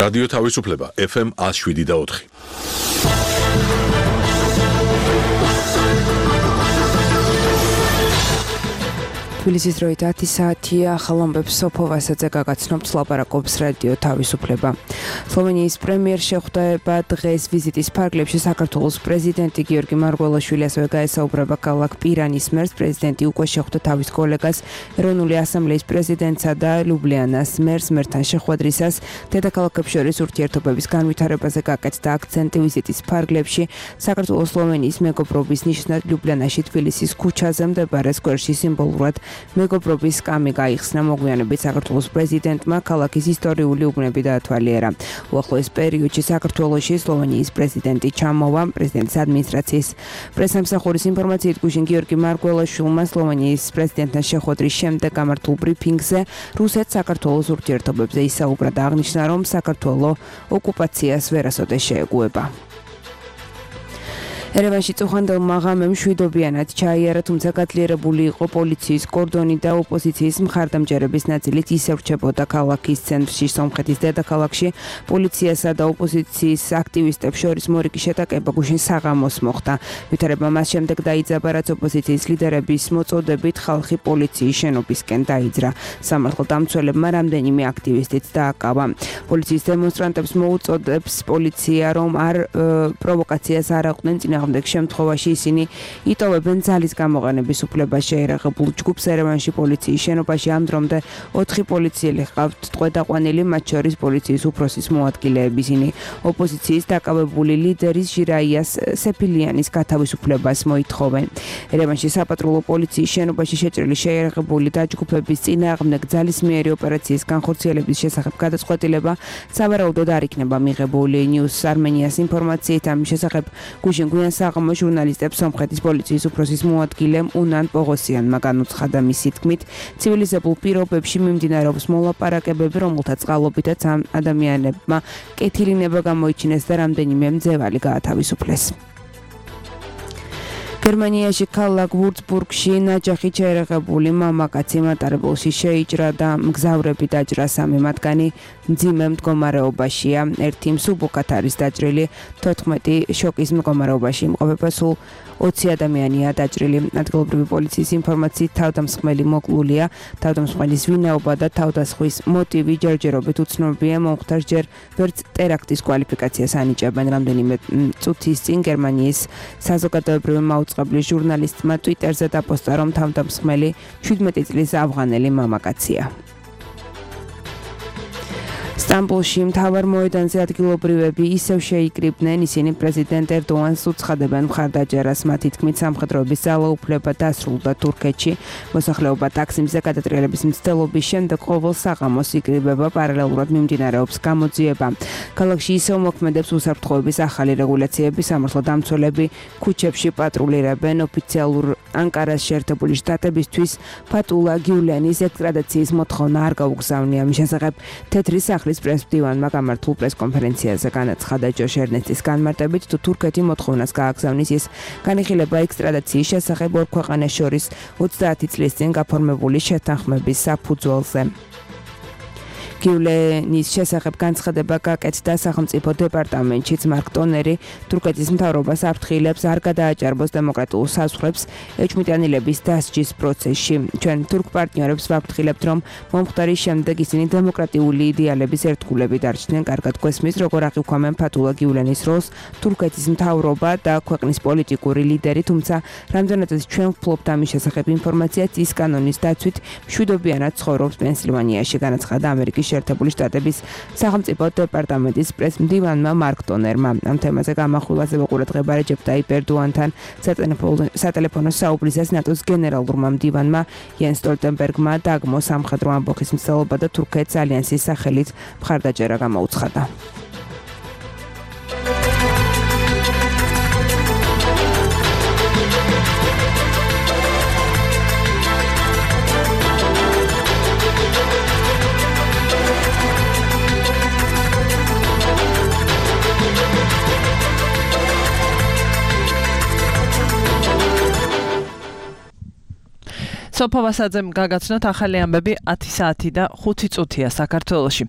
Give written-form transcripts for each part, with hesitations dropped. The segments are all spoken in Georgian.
რადიო თავისუფლება FM 107.4. თბილისის დროით 10 საათია, ახალ ამბებს სოფო ვასაძე გაგაცნობთ, ლაპარაკობს რადიო თავისუფლება. სლოვენიის პრემიერ შეხვდება დღეს ვიზიტის ფარგლებში საქართველოს პრეზიდენტი გიორგი მარგველაშვილი, ასევე გაესაუბრება ქალაქ პირანის მერს. პრეზიდენტი უკვე შეხვდა თავის კოლეგას, ეროვნული ასამბლეის პრეზიდენტსა და ლიუბლიანას მერს. მერთან შეხვედრისას დედაქალაქებს შორის ურთიერთობების განვითარებაზე გაკეთდა აქცენტი. ვიზიტის ფარგლებში საქართველოს სლოვენიის მეგობრობის ნიშნად ლიუბლიანაში თბილისის ქუჩაზე მდებარე სკვერში სიმბოლურად მეგობრობის სკამი გაიხსნა. მოგვიანებით საქართველოს პრეზიდენტმა ქალაქის ისტორიული უბნები დაათვალიერა. უახლოეს პერიოდში საქართველოში სლოვენიის პრეზიდენტი ჩამოვა. პრეზიდენტის ადმინისტრაციის პრესამსახურის ინფორმაციით გუშინ გიორგი მარგველაშვილმა სლოვენიის პრეზიდენტთან შეხვედრის შემდეგ გამართულ ბრიფინგზე რუსეთ-საქართველოს ურთიერთობებზე ისაუბრა და აღნიშნა, რომ საქართველო ოკუპაციას ვერასოდეს შეეგუება. ერევანში წუხანდელმა ღამემ მშვიდობიანად ჩაიარა, თუმცა გაძლიერებული იყო პოლიციის კორდონი და ოპოზიციის მხარდამჭერების ნაწილით ისევ რჩებოდა ქალაქის ცენტრში. სომხეთის დედაქალაქში პოლიციასა და ოპოზიციის აქტივისტებს შორის მორიგი შეტაკება გუშინ საღამოს მოხდა. ვითარება მას შემდეგ დაიძაბა, რაც ოპოზიციის ლიდერების მოწოდებით ხალხი პოლიციის შენობისკენ დაიძრა. სამართალდამცველებმა რამდენიმე აქტივისტიც დააკავა. პოლიციის დემონსტრანტებს მოუწოდებს პოლიცია, რომ პროვოკაციას არ აყვნენ. წინააღმდეგ შემთხვევაში ისინი იტოვებენ ძალის გამოყენების უფლებას შეერაღებულ ჯგუფს. ერევანში პოლიციის შენობაში ამ დრომდე 4 პოლიციელი ჰყავთ ტყვედაყვანილი, მათ შორის პოლიციის უფროსის მოადგილეები. ისინი ოპოზიციის დაკავებული ლიდერის ჟირაიას სეფილიანის გათავისუფლებას მოითხოვენ. ერევანში საპატრულო პოლიციის შენობაში შეჭრილი შეერაღებული დაჯგუფების წინააღმდეგ ძალისმიერი ოპერაციის განხორციელების შესახებ გადაწყვეტილება სავარაუდოდ არ იქნება მიღებული. News Armenias ინფორმაციით ამის შესახებ გუშინ საღამო ჟურნალისტებს სომხეთის პოლიციის უფროსის მოადგილემ უნან პოღოსიანმა განუცხადა. მისი თქმით, ცივილიზებულ პირობებში მიმდინარეობს მოლაპარაკებები, რომელთაც წყალობითაც ამ ადამიანებმა კეთილინება გამოიჩინეს და რამდენიმე მძევალი გაათავისუფლეს. გერმანიაში ქალაქ ვურცბურგში ნაჯახი ჩაერაღებული მამაკაცი მატარებელში შეიჭრა და მგზავრები დაჭრა. 3 მათგანი მძიმე მდგომარეობაშია. ერთი მსუბუქად არის დაჭრილი, 14 შოკის მდგომარეობაში იმყოფება. სულ 20 ადამიანია დაჭრილი. ადგილობრივი პოლიციის ინფორმაციით თავდამსხმელი მოკლულია. თავდამსხმელის ვინაობა და თავდასხმის მოტივი ჯერჯერობით უცნობია. მომხდარს ჯერ ვერც ტერაქტის კვალიფიკაციას ანიჭებენ. რამდენიმე წუთის წინ გერმანიის საზოგადოებრივი მაუწყებლის ჟურნალისტმა ტვიტერზე დაპოსტა, რომ თავდამსხმელი 17 წლის ავღანელი მამაკაცია. სტამბოლში მთავარ მოედანზე ადგილობრივები ისევ შეიკრიბნენ. ისინი პრეზიდენტ ერდოანს უცხადებენ მხარდაჭერას. მათი თქმით, სამხედროების ძალაუფლება დასრულდა თურქეთში. მოსახლეობა ტაქსიმზე გადატრიალების მცდელობის შემდეგ ყოველ საღამოს იკრიბება. პარალელურად მიმდინარეობს გამოძიება. ქალაქში ისევ მოქმედებს უსაფრთხოების ახალი რეგულაციები. სამართალდამცველები ქუჩებში პატრულირებენ. ოფიციალურ ანკარას შეერთებული შტატებისთვის ფატულა გიულენის ექსტრადიციის მოთხოვნა არ გაუგზავნია. მის შესახებ თეთრი სახლის პრესმდივანმა გამართულ პრესკონფერენციაზე განაცხადა. ჯოშ ერნესტის განმარტებით, თუ თურქეთი მოთხოვნას გააგზავნის, ის განიხილება ექსტრადიციის შესახებ ორ ქვეყანას შორის 30 წლის წინ გაფორმებული შეთანხმების საფუძველზე. გიულენის შესახებ განცხადება გაკეთდა სახელმწიფო დეპარტამენტშიც. მარკ ტონერი თურქეთის მთავრობას აფრთხილებს არ გადააჭარბოს დემოკრატიულ საზღვრებს ეჭვმიტანილების დასჯის პროცესში. ჩვენ თურქ პარტნიორებს ვაფრთხილებთ, რომ მომხდარის შემდეგ ისინი დემოკრატიული იდეალების ერთგულები დარჩნენ. კარგად გვესმის, როგორ აღიქვამენ ფატულა გიულენის როლს თურქეთის მთავრობა და ქვეყნის პოლიტიკური ლიდერი, თუმცა რამდენადაც ჩვენ ვფლობთ ამის შესახებ ინფორმაციას, ის კანონის დაცვით მშვიდობიანად ცხოვრობს პენსილვანიაში, განაცხადა ამერიკის შეერთებული შტატების სახელმწიფო დეპარტამენტის პრესმდივანმა მარკ ტონერმა. ამ თემაზე გამახვილაზე ყურადღება რეჯეპ ტაიპ ერდოანთან სატელეფონო საუბრისას ნატოს გენერალურმა მდივანმა იენს სტოლტენბერგმა დაგმო სამხედრო ამბოხის მცდელობა და თურქეთს ალიანსის სახელით მხარდაჭერა გამოუცხადა. სოფო ვასაძემ გაგაცნოთ ახალი ამბები 10 საათი და 5 წუთია საქართველოში.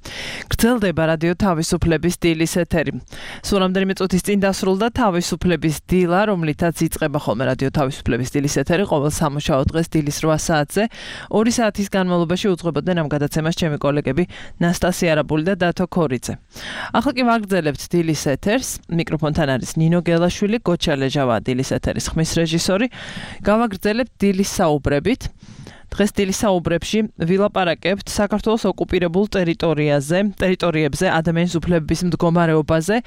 გრძელდება რადიო თავისუფლების დილის ეთერი. სულ რამდენიმე წუთის წინ დასრულდა თავისუფლების დილა, რომლითაც იწყება ხოლმე რადიო თავისუფლების დილის ეთერი ყოველ სამუშაო დღეს დილის 8 საათზე. 2 საათის განმავლობაში უძღვებოდნენ ამ გადაცემას ჩემი კოლეგები ნასტასია არაბული და დათო ქორიძე. ახლა კი ვაგრძელებთ დილის ეთერს. მიკროფონთან არის ნინო გელაშვილი, გოჩა ლეჟავა დილის ეთერის ხმის რეჟისორი. გავაგრძელებთ დილის საუბრებით. დღეს დილის საუბრებში ვილაპარაკებთ საქართველოს ოკუპირებულ ტერიტორიებზე ადამიანის უფლებების მდგომარეობაზე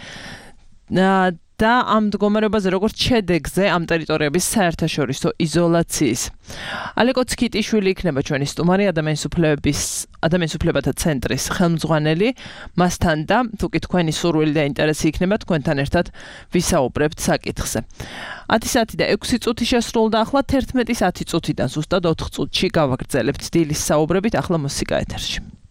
და ამ მდგომარეობაზე როგორც შედეგზე ამ ტერიტორიების საერთაშორისო იზოლაციის. ალეკო ცქიტიშვილი იქნება ჩვენი სტუმარი ადამიანის უფლებათა ცენტრის ხელმძღვანელი. მასთან და თუკი თქვენი სურვილი და ინტერესი იქნება თქვენთან ერთად ვისაუბრებთ საკითხზე. 10 საათი და 6 წუთი შესრულდა, ახლა 11-ის 10 წუთიდან ზუსტად 4 წუთში გავაგრძელებთ დილის საუბრებით, ახლა მუსიკა ეთერში.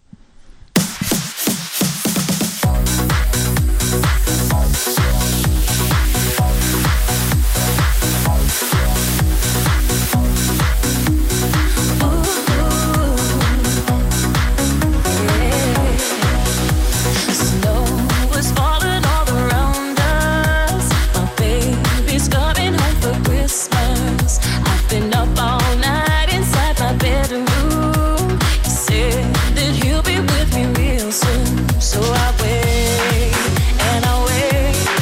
So I wait and I wait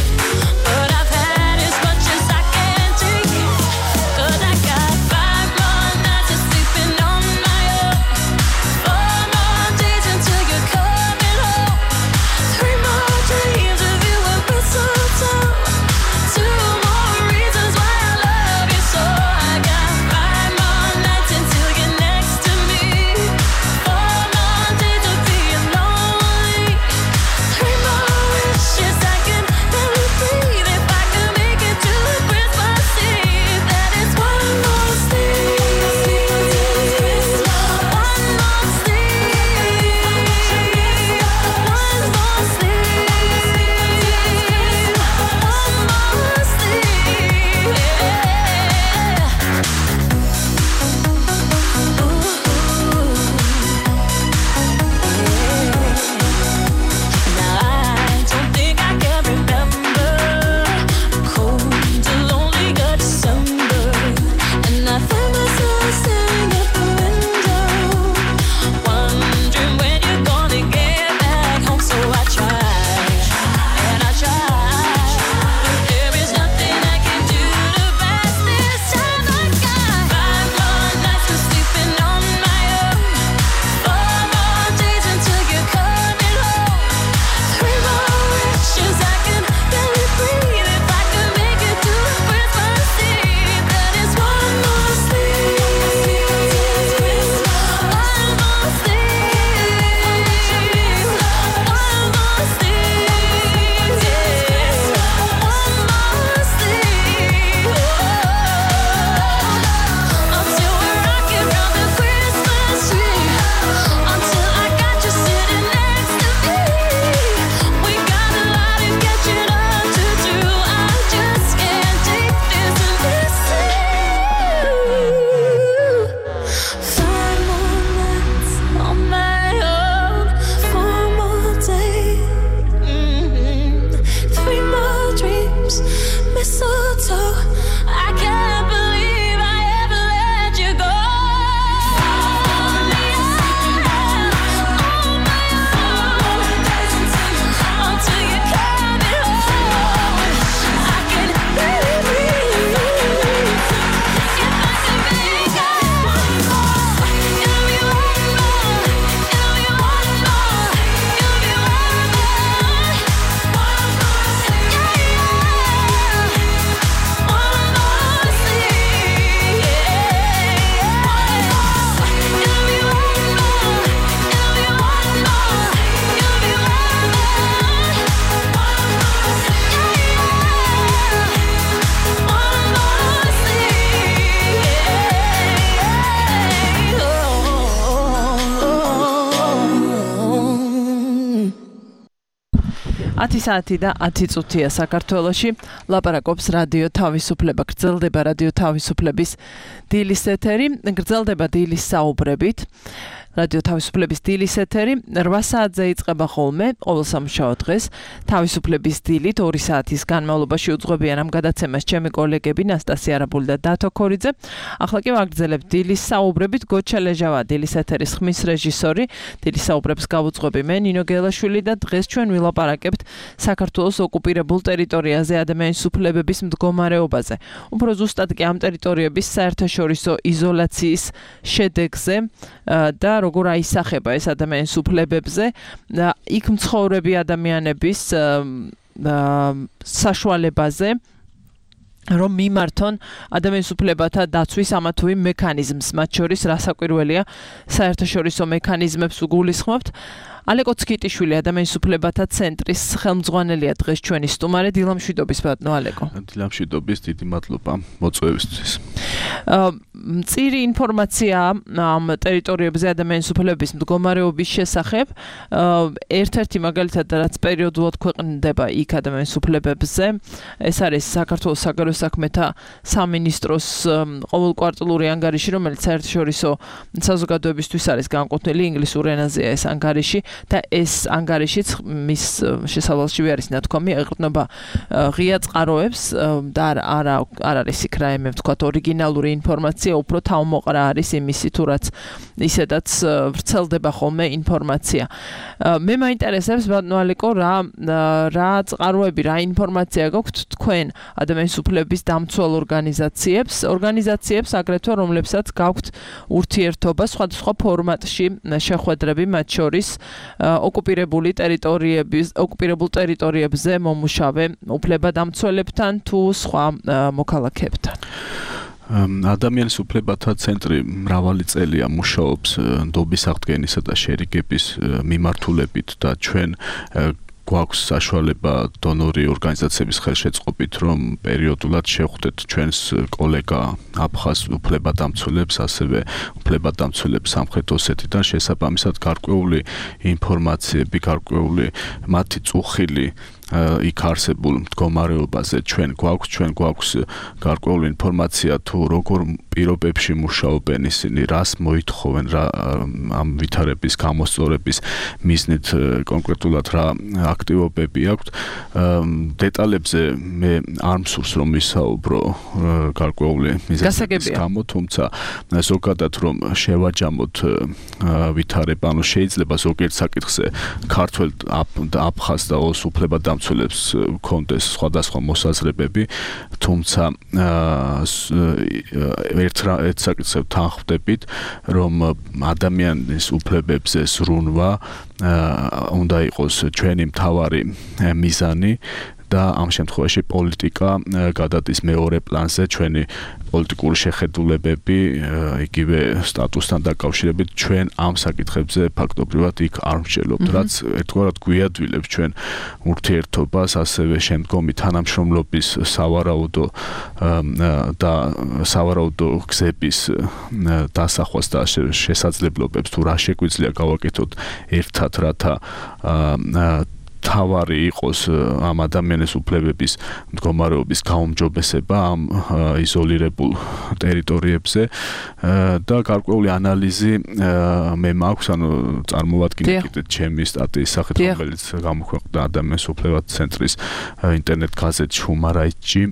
10 საათი და 10 წუთია საქართველოში. ლაპარაკობს რადიო თავისუფლება. გრძელდება რადიო თავისუფლების დილის ეთერი. გრძელდება დილის საუბრებით. რადიო თავისუფლების დილის ეთერი 8 საათზე იწყება ხოლმე ყოველ სამშაბათ დღეს. თავისუფლების დილით 2 საათის განმავლობაში უძღვებიან ამ გადაცემას ჩემი კოლეგები ნასტასია არაბული და დათო ქორიძე. ახლა კი ვაგრძელებთ დილის საუბრებით. გოჩა ლეჟავა დილის ეთერის ხმის რეჟისორი. დილის საუბრებს გავუძღვები მე ნინო გელაშვილი და დღეს ჩვენ ვილაპარაკებთ საქართველოს ოკუპირებულ ტერიტორიაზე ადამიანის უფლებების მდგომარეობაზე. უფრო ზუსტად კი ამ ტერიტორიების საერთაშორისო იზოლაციის შედეგზე და როგორ აისახება ეს ადამიანის უფლებებზე იქ მცხოვრები ადამიანების საშუალებაზე რომ მიმართონ ადამიანის უფლებათა დაცვის ამა თუ იმ მექანიზმს, მათ შორის რასაკვირველია საერთაშორისო მექანიზმებს უგულისხმობთ. ალეკო ცკიტიშვილი ადამიანის უფლებათა ცენტრის ხელმძღვანელია დღეს ჩვენი სტუმარი. დილამშვიდობის ბატონო ალეკო. დილამშვიდობის, დიდი მადლობა მოწვევისთვის. მწირი ინფორმაცია ამ ტერიტორიებზე ადამიანის უფლებების მდგომარეობის შესახებ. ერთ-ერთი მაგალითად რაც პერიოდულად ქვეყნდება იქ ადამიანის უფლებებზე, ეს არის საქართველოს საგარეო საქმეთა სამინისტროს ყოველკვარტალური ანგარიში, რომელიც საერთაშორისო საზოგადოებისთვის არის განკუთვნილი ინგლისურ ენაზეა ეს ანგარიში. და ეს ანგარიშიც მის შესავალში არის ნათქვამი ეყრდნობა ღია წყაროებს და არ არის იქ რაიმე ვთქვათ ორიგინალური ინფორმაცია, უფრო თავმოყრა არის იმისი თუ რაც ისედაც ვრცელდება ხოლმე ინფორმაცია. მე მაინტერესებს ბატონო ალეკო რა წყაროები, რა ინფორმაცია გაქვთ თქვენ ადამიანის უფლებების დამცველ ორგანიზაციებს აგრეთვე რომლებსაც გაქვთ ურთიერთობა სხვადასხვა ფორმატში შეხვედრები მათ შორის ოკუპირებულ ტერიტორიებზე მომუშავე უფლებადამცველებთან თუ სხვა მოქალაქეებთან. ადამიანის უფლებათა ცენტრი მრავალი წელია მუშაობს ნდობის აღდგენისა და შერიგების მიმართულებით და ჩვენ გვაქვს საშუალება დონორი ორგანიზაციების ხელშეწყობით, რომ პერიოდულად შევხვდეთ ჩვენს კოლეგა აფხაზ უფლებადამცველებს, ასევე უფლებადამცველებს სამხრეთ ოსეთიდან შესაბამისად გარკვეული ინფორმაციები, გარკვეული მათი წუხილი იქ არსებულ მდგომარეობაზე ჩვენ გვაქვს გარკვეული ინფორმაცია თუ როგორ პირობებში მუშაობენ ისინი, რას მოითხოვენ, რა ამ ვითარების გამოსწორების მიზნით კონკრეტულად რა აქტივობები აქვთ. დეტალებზე მე არ მსურს რომ ვისაუბრო გარკვეული მიზეზების გამო, თუმცა ზოგადად რომ შევაჯამოთ ვითარება, ანუ შეიძლება ზოგიერთ საკითხზე ქართველ აფხაზ და ოს უფლებადამცველებს კონდეს სხვადასხვა მოსაზრებები, თუმცა ერთ საკითხზე თანხმდებით, რომ ადამიანის უფლებებზე ზრუნვა უნდა იყოს ჩვენი მთავარი მიზანი და ამ შემთხვევაში პოლიტიკა გადადის მეორე პლანზე, ჩვენი პოლიტიკური შეხედულებები, იგივე სტატუსთან დაკავშირებით ჩვენ ამ საკითხებზე ფაქტობრივად იქ არ ვმსჯელობთ, რაც ერთგვარად გვიადვილებს ჩვენ ურთიერთობას, ასევე შემდგომი თანამშრომლობის სავარაუდო გზების დასახვას და შესაძლებლობებს თუ რა შეგვიძლია გავაკეთოთ ერთად, რათა თავარი იყოს ამ ადამიანის უფლებების მდგომარეობის გაუმჯობესება ამ იზოლირებულ ტერიტორიებზე და გარკვეული ანალიზი მე მაქვს, ანუ წარმოვადგინეთ ჩემი სტატიის სახით, რომელიც გამოქვეყნდა ადამიანის უფლებათა ცენტრის ინტერნეტ გაზეთში ჰუმარაიტში.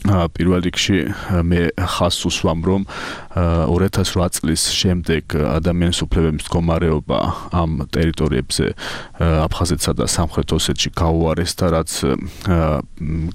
პირველ რიგში მე ხაზს უსვამ, რომ 2008 წლის შემდეგ ადამიანის უფლებების მდგომარეობა ამ ტერიტორიებზე აფხაზეთსა და სამხრეთ ოსეთში გაუარესდა, რაც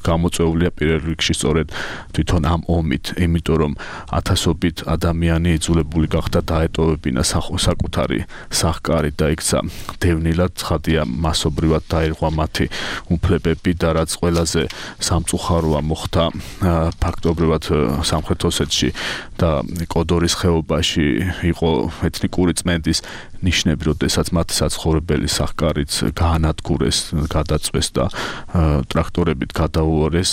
გამოწვეულია პირველ რიგში სწორედ თვითონ ამ ომით, იმიტომ რომ ათასობით ადამიანი იძულებული გახდა დაეტოვებინა საკუთარი სახკარი და იქცა დევნილად, ცხადია მასობრივად დაირღვა მათი უფლებები და რაც ყველაზე სამწუხაროა მოხდა ფაქტობრივად სამხრეთ ოსეთში და კოდორის ხეობაში იყო ეთნიკური წმენდის ნიშნები, როდესაც მათი საცხოვრებელი სახკარიც გაანადგურეს, გადაწვეს და ტრაქტორებით გადაუარეს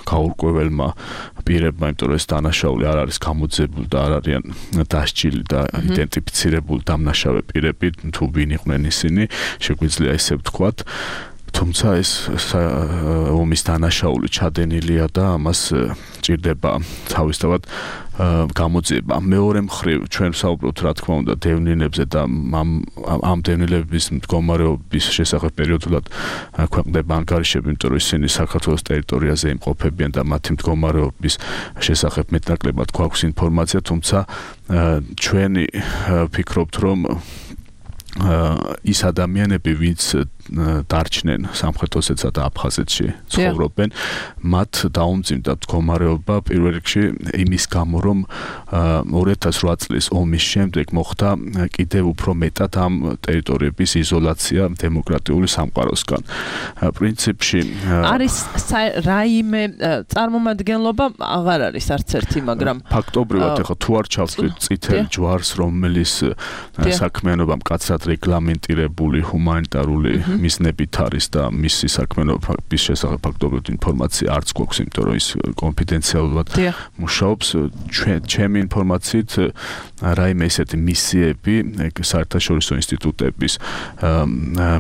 გაურკვეველმა პირებმა, იმიტომ რომ ეს დანაშაული არ არის გამოძებული და არ არიან დასჯილი და იდენტიფიცირებული დამნაშავე პირები, თუ ვინ იყვნენ ისინი, შეგვიძლია ესე ვთქვათ. თუმცა ეს ომის დანაშაული ჩადენილია და ამას ჭირდება თავისთავად გამოძიება. მეორე მხრივ ჩვენ ვსაუბრობთ რა თქმა უნდა დევნილებზე და ამ დევნილების მდგომარეობის შესახებ პერიოდულად ქვეყნდება ანგარიშები, იმიტომ რომ ისინი საქართველოს ტერიტორიაზე იმყოფებიან და მათი მდგომარეობის შესახებ მეტნაკლებად გვაქვს ინფორმაცია, თუმცა ჩვენი ვფიქრობთ რომ ის ადამიანები, ვინც დარჩნენ სამხრეთ ოსეთსა და აფხაზეთში ცხოვრობენ, მათ დაუმძიმდა მდგომარეობა პირველ რიგში იმის გამო, რომ 2008 წლის ომის შემდეგ მოხდა კიდევ უფრო მეტად ამ ტერიტორიების იზოლაცია დემოკრატიული სამყაროსგან. პრინციპში არის რაიმე წარმომადგენლობა აღარ არის არც ერთი, მაგრამ ფაქტობრივად ეხლა თუ არ ჩავწვით წითელ ჯვარს, რომელიც საქმიანობა მკაცრად რეგლამენტირებული ჰუმანიტარული მიზნებით არის და მისი საქმიანობის შესახებ ფაქტობრივად ინფორმაცია არც გვაქვს, იმიტომ რომ ის კონფიდენციალურად მუშაობს. ჩემი ინფორმაციით რაიმე ისეთი მისიები, საერთაშორისო ინსტიტუტების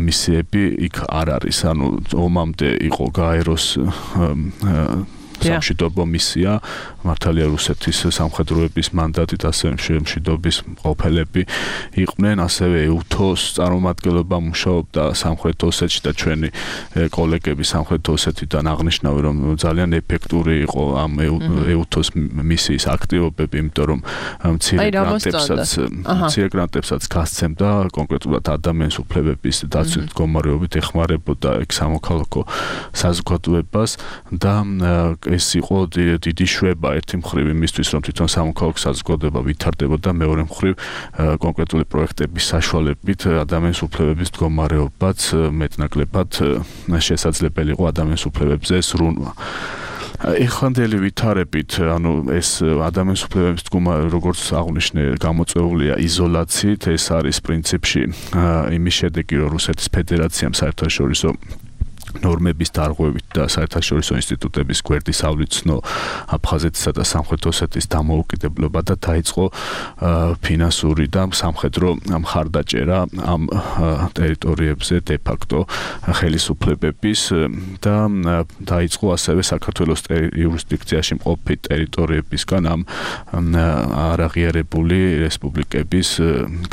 მისიები იქ არ არის. ანუ ომამდე იყო გაეროს სამშვიდობო მისია, მართალია რუსეთის სამხედროების მანდატით, ასევე მშვიდობის მყოფელები იყვნენ, ასევე EUTOS წარმომადგენლობა მუშაობდა სამხრეთ ოსეთში და ჩვენი კოლეგები სამხრეთ ოსეთიდან აღნიშნავენ, რომ ძალიან ეფექტური იყო ამ EUTOS მისიის აქტივობები, იმიტომ რომ მცირე გრანტებსაც გასცემდა კონკრეტულად ადამიანის უფლებების დაცვის მდგომარეობით ეხმარებოდა ეგ სამოქალაქო საზოგადოებას და ეს იყო დიდი შვება ერთი მხრივ იმისთვის, რომ თვითონ სამოქალაქო საზოგადოება ვითარდებოდა, მეორე მხრივ კონკრეტული პროექტების საშუალებით ადამიანის უფლებების მდგომარეობაც მეტნაკლებად შესაძლებელი იყო ადამიანის უფლებებზე ზრუნვა. ეხანდელი ვითარებით, ანუ ეს ადამიანის უფლებების მდგომარეობა, როგორც აღნიშნე, გამოწვეულია იზოლაციით, ეს არის პრინციპში იმის შედეგი, რომ რუსეთის ფედერაციამ საერთაშორისო ნორმების დარღვევით და საერთაშორისო ინსტიტუტების გვერდის ავლიცნო აფხაზეთისა და სამხრეთ ოსეთის დამოუკიდებლობა და დაიწყო ფინანსური და სამხედრო მხარდაჭერა ამ ტერიტორიებზე de facto ხელისუფლებების და დაიწყო ასევე საქართველოს იურისდიქციაში მყოფი ტერიტორიებისგან ამ არაღიარებული რესპუბლიკების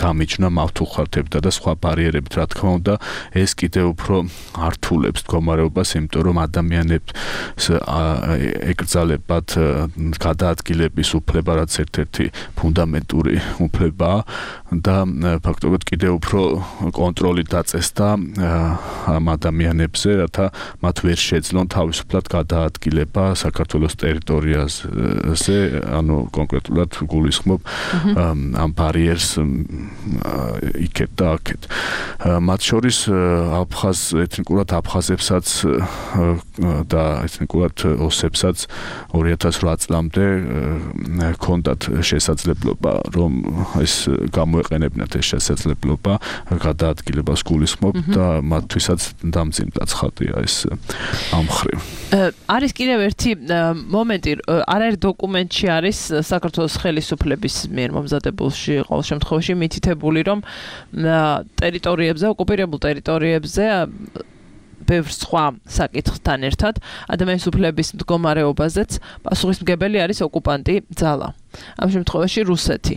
გამიჯნა მავთუხარდებდა და სხვა ბარიერებით, რა თქმა უნდა, ეს კიდევ უფრო ართულებს მდგომარეობას, იმიტომ რომ ადამიანებს ეკრძალებათ გადაადგილების უფლება, რაც ერთ-ერთი ფუნდამენტური უფლებაა და ფაქტობრივად კიდევ უფრო კონტროლი დაწესდა ამ ადამიანებზე, რათა მათ ვერ შეძლონ თავისუფლად გადაადგილება საქართველოს ტერიტორიაზე, ანუ კონკრეტულად გულისხმობ ამ ბარიერს იქეთ და აქეთ. მათ შორის ეთნიკურად აფხაზებსაც და ეთნიკურად ოსებსაც 2008 წლამდე ჰქონდათ შესაძლებლობა, რომ ეს გამოეყენებინათ ეს შესაძლებლობა გადაადგილებას გულისხმობ და მათთვისაც დამძიმდა ცხადია ეს ამ მხრივ. არის კიდევ ერთი მომენტი, არაერთ დოკუმენტში არის საქართველოს ხელისუფლების მიერ მომზადებულში ყოველ შემთხვევაში მითითებული, რომ ტერიტორიებზე, ოკუპირებულ ტერიტორიებზე ბევრ სხვა საკითხთან ერთად ადამიანის უფლების მდგომარეობაზეც პასუხისმგებელი არის ოკუპანტი ძალა. ამ შემთხვევაში რუსეთი.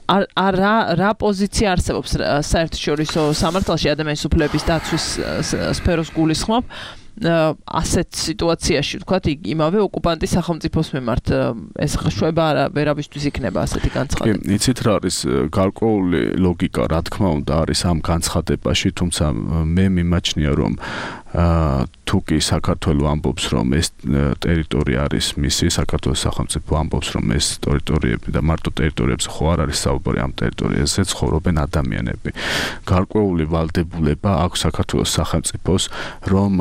რა პოზიცია არსებობს საერთაშორისო სამართალში ადამიანის უფლების დაცვის სფეროს გულისხმობ ასეთ სიტუაციაში, ვთქვათ, იმავე ოკუპანტის სახელმწიფოს მიმართ ეს შვება ვერავისთვის იქნება ასეთი განცხადება. იცით რა არის გარკვეული ლოგიკა, რა თქმა უნდა, არის ამ განცხადებაში, თუმცა მე მიმაჩნია, რომ თუ კი საქართველო ამბობს, რომ ეს ტერიტორია არის მისი, საქართველოს სახელმწიფო ამბობს, რომ ეს ტერიტორიები და მარტო ტერიტორიებზე ხო არ არის საუბარი, ამ ტერიტორიაზე ცხოვრობენ ადამიანები. გარკვეული ვალდებულება აქვს საქართველოს სახელმწიფოს, რომ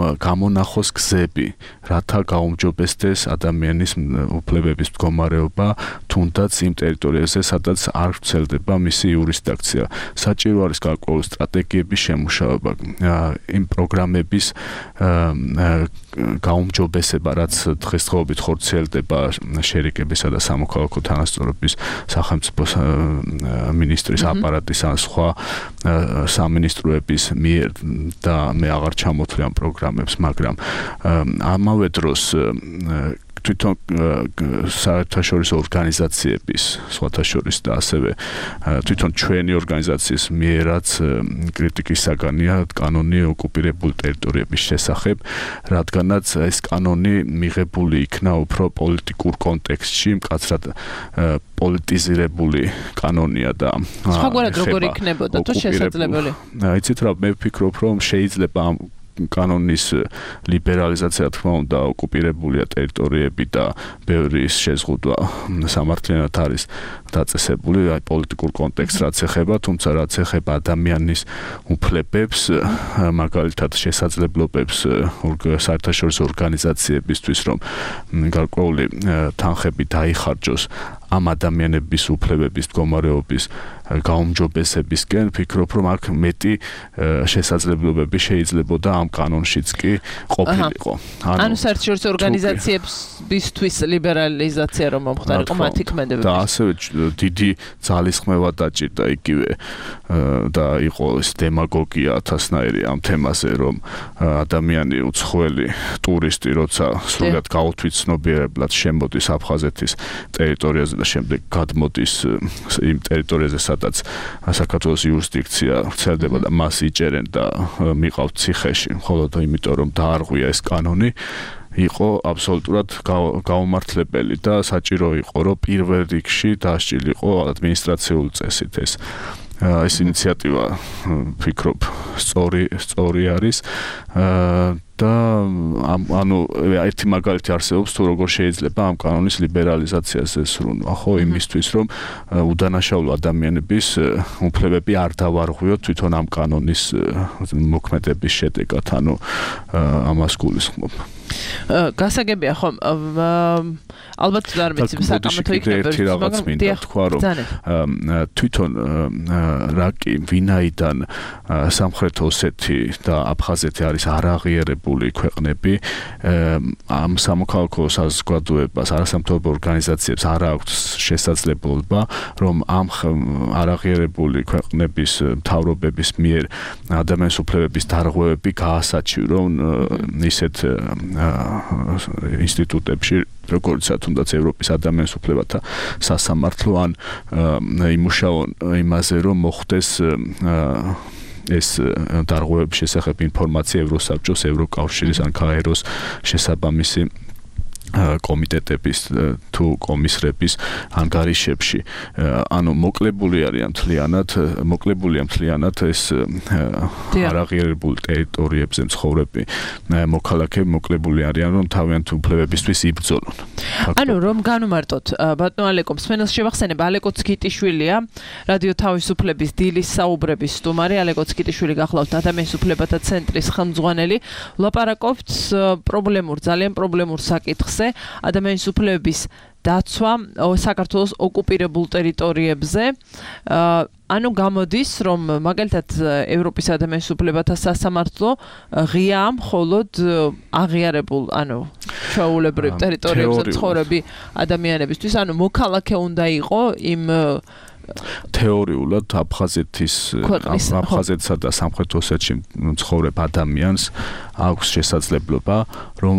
მონახოს გზები, რათა გაუმჯობესდეს ადამიანის უფლებების მდგომარეობა, თუნდაც იმ ტერიტორიაზე, სადაც არ ვრცელდება მისი იურისდიქცია. საჭირო არის გარკვეული სტრატეგიების შემუშავება, იმ პროგრამების გაუმჯობესება, რაც დღესდღეობით ხორციელდება შერიკებისა და სამოქალაქო თანასწორობის სახელმწიფო მინისტრის აპარატის ან სხვა სამინისტროების მიერ და მე აღარ ჩამოთვლი ამ პროგრამებს, მაგრამ ამავე დროს თვითონ საერთაშორისო ორგანიზაციების, სხვათა შორის და ასევე თვითონ ჩვენი ორგანიზაციის მიერაც კრიტიკის საგანია კანონი ოკუპირებული ტერიტორიების შესახებ, რადგანაც ეს კანონი მიღებული იქნა უფრო პოლიტიკურ კონტექსტში, მკაცრად პოლიტიზირებული კანონია და სხვაგვარად როგორ იქნებოდა თუ შესაძლებელი? იცით რა, მე ვფიქრობ, რომ შეიძლება ამ კანონის ლიბერალიზაცია თქმა უნდა ოკუპირებულია ტერიტორიები და ბევრი შეზღუდვა სამართლიანად არის დაწესებული აი პოლიტიკურ კონტექსტს რაც ეხება, თუმცა რაც ეხება ადამიანის უფლებებს, მაგალითად შესაძლებლობებს საერთაშორისო ორგანიზაციებისთვის, რომ გარკვეული თანხები დაიხარჯოს ამ ადამიანების უფლებების მდგომარეობის გაუმჯობესებისკენ, ფიქრობ, რომ აქ მეტი შესაძლებლობები შეიძლებოდა ამ კანონშიც კი ყოფილიყო. ანუ საერთაშორისო ორგანიზაციებისთვის ლიბერალიზაცია რომ მომხდარიყო მათი ქმედებები. და ასევე დიდი ძალისხმევა დაჭირდა იგივე და იყო ეს დემაგოგია ათასნაირი ამ თემაზე, რომ ადამიანი უცხოელი ტურისტი როცა სრულად გაუთვით ცნობიერებლად შემოდის აფხაზეთის ტერიტორიაზე და შემდეგ გადმოდის იმ ტერიტორიაზე, სადაც საქართველოს იურისდიქცია ვრცელდება და მას იჭერენ და მიყავთ ციხეში, მხოლოდ იმიტომ რომ დაარღვია ეს კანონი, იყო აბსოლუტურად გაუმართლებელი და საჭირო იყო, რომ პირველ რიგში დასჭილიყო ადმინისტრაციული წესით ეს ინიციატივა, ფიქრობ, სწორი არის და ანუ ერთი მაგალითი არსებობს თუ როგორ შეიძლება ამ კანონის ლიბერალიზაციას ესრუნვა, ხო, იმისთვის რომ უდანაშაულო ადამიანების უფლებები არ დავარღვიოთ თვითონ ამ კანონის მოქმედების შედეგად, ანუ ამას გულისხმობ. გასაგებია ხომ ალბათ არ ვიცი საკამათო იქნება ერთი რაღაც მინდა თქვა რომ თვითონ რაკი ვინაიდან სამხრეთ ოსეთი და აფხაზეთი არის არაღიარებული ქვეყნები, ამ სამოქალაქო საზოგადოებას არასამთავრობო ორგანიზაციებს არ აქვს შესაძლებლობა რომ ამ არაღიარებული ქვეყნების მთავრობების მიერ ადამიანის უფლებების დარღვევები გაასაჩივრონ ისეთ ინსტიტუტებში, როგორიცაა თუნდაც ევროპის ადამიანის უფლებათა სასამართლო, ან იმუშაონ იმაზე, რომ მოხდეს ეს დარღვევების შესახებ ინფორმაცია ევროსაბჭოს, ევროკავშირის ან გაეროს შესაბამისი კომიტეტების თუ კომისრების ანგარიშებში, ანუ მოკლებულია მთლიანად ეს არაღიარებულ ტერიტორიებზე მცხოვრები მოქალაქეები მოკლებული არიან, რომ თავიანთი უფლებებისთვის იბრძოლონ. ანუ რომ განვმარტოთ, ბატონო ალეკო, მსმენელს შევახსენებ, ალეკო ცკიტიშვილია, რადიო თავისუფლების დილის საუბრების სტუმარი, ალეკო ცკიტიშვილი გახლავთ ადამიანის უფლებათა ცენტრის ხელმძღვანელი, ვლაპარაკობთ ძალიან პრობლემურ საკითხზე, ადამიანის უფლებების დაცვა საქართველოს ოკუპირებულ ტერიტორიებზე. ანუ გამოდის, რომ მაგალითად ევროპის ადამიანის უფლებათა სასამართლო ღია მხოლოდ აღიარებულ, ანუ ჩვეულებრივ ტერიტორიებზე მცხოვრები ადამიანებისთვის, ანუ მოქალაქე უნდა იყო იმ თეორიულად აფხაზეთსა და სამხრეთ ოსეთში მცხოვრებ ადამიანს აქვს შესაძლებლობა, რომ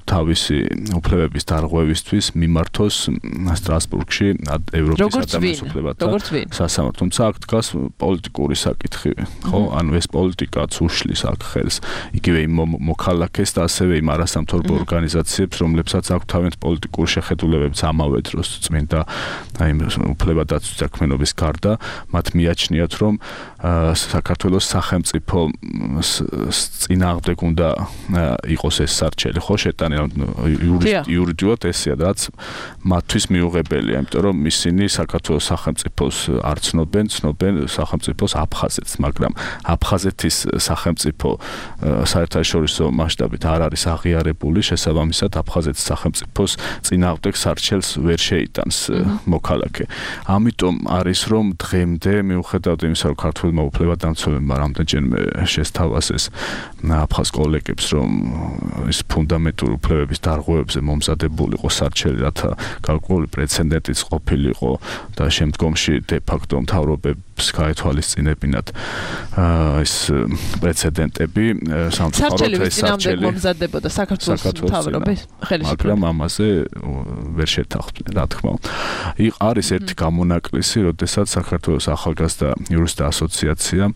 თავისი უფლებების დარღვევისთვის მიმართოს სტრასბურგში ევროპის ადამიანის უფლებათა სასამართლო. თუმცა აქ დგას პოლიტიკური საკითხი, ხო? ანუ ეს პოლიტიკაც უშლის აქ ხელს იგივე იმ მოქალაქეს და ასევე იმ არასამთავრობო ორგანიზაციებს, რომლებსაც აქვს თავიანთი პოლიტიკური შეხედულებებიც ამავე დროს წმინდა იმ უფლებადაცვის საქმიანობის გარდა, მათ მიაჩნიათ, რომ საქართველოს სახელმწიფო წინააღმდეგ უნდა იყოს ეს სარჩელი, ხო, შეტანილი იურიდიულად ესეა, რაც მათთვის მიუღებელია, იმიტომ რომ ისინი საქართველოს სახელმწიფოს არ ცნობენ სახელმწიფოს აფხაზეთს. გადადის, მაგრამ აფხაზეთის სახელმწიფო საერთაშორისო მასშტაბით არ არის აღიარებული, შესაბამისად აფხაზეთის სახელმწიფოს წინააღმდეგ სარჩელს ვერ შეიტანს მოქალაქე. ამიტომ არის რომ დღემდე მიუხედავად იმისა, რომ ქართულმა უფლებადამცველებმა რამდენჯერმე შესთავაზეს აფხაზ კოლეგებს, რომ ის ფუნდამენტური უფლებების დარღვევებზე მომზადებულიყო სარჩელი, რათა გარკვეული პრეცედენტიც ყოფილიყო და შემდგომში de facto მთავრობებს გაეთვალისწინებინათ ეს პრეცედენტები სამწუხაროდ ეს სარჩელი მომზადებოდა საქართველოს მთავრობის ხელისუფლების, მაგრამ ამაზე ვერ შეთანხმდნენ, რა თქმა უნდა. არის ერთი გამონაკლისი, როდესაც საქართველოს ახალგაზრდა იურისტთა ასოციაციამ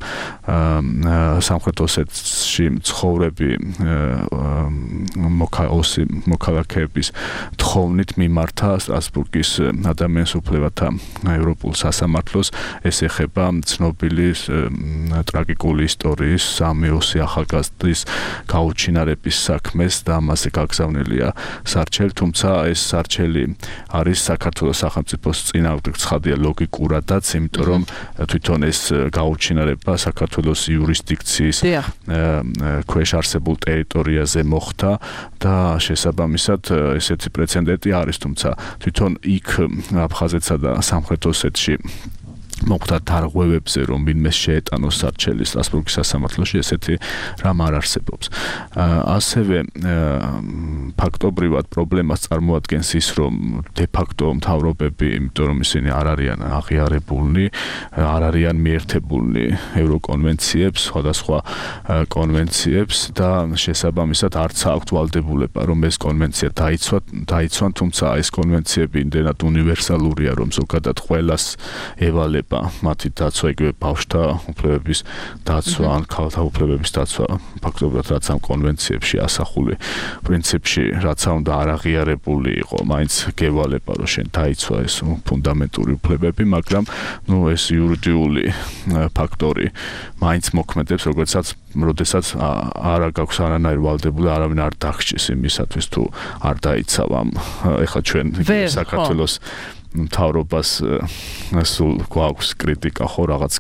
სამხრეთ ოსეთში მცხოვრები მოქალაქეების თხოვნით მიმართა სტრასბურგის ადამიანის უფლებათა ევროპულ სასამართლოს. ეს ეხება ცნობილი ტრაგიკული ისტორიის 3-20 ახალგაზრდის გაუჩინარების საქმეს და ამაზე გაგზავნილია სარჩელი, თუმცა ეს სარჩელი არის საქართველოს სახელმწიფოს წინააღმდეგ ცხადია ლოგიკურადაც, იმიტომ რომ თვითონ ეს გაუჩინარება საქართველოს იურისდიქციის ქვეშ არსებულ ტერიტორიაზე მოხდა და შესაბამისად ესეთი პრეცედენტი არის, თუმცა თვითონ იქ აფხაზეთსა და სამხრეთ ოსეთში მოხდა დარღვევებზე, რომ ვინმე შეეტანოს სარჩელი სტრასბურგის სასამართლოში, ესეთი რამ არ არსებობს. ასევე ფაქტობრივად პრობლემას წარმოადგენს ის, რომ de facto მთავრობები, იმიტომ რომ ისინი არ არიან აღიარებულნი, არ არიან მიერთებულნი ევროკონვენციებს, სხვადასხვა კონვენციებს და შესაბამისად არც აქვთ ვალდებულება, რომ ეს კონვენცია დაიცვან, თუმცა ეს კონვენციები იმდენად უნივერსალურია, რომ ზოგადად ყველას ევალება მათი დაცვა, იგივე ბავშვთა უფლებების დაცვა ან ქალთა უფლებების დაცვა, ფაქტობრივად რაც ამ კონვენციებში ასახული პრინციპში რაც უნდა არ აღიარებული იყო, მაინც გევალება, რომ შენ დაიცვა ეს ფუნდამენტური უფლებები, მაგრამ ეს იურიდიული ფაქტორი მაინც მოქმედებს, როდესაც არ გაქვს არანაირი ვალდებული, არავინ არ დაგჭირს იმისათვის თუ არ დაიცავ ამ ეხლა ჩვენ საქართველოს მთავრობას სულ გვაქვს კრიტიკა ხო რაღაც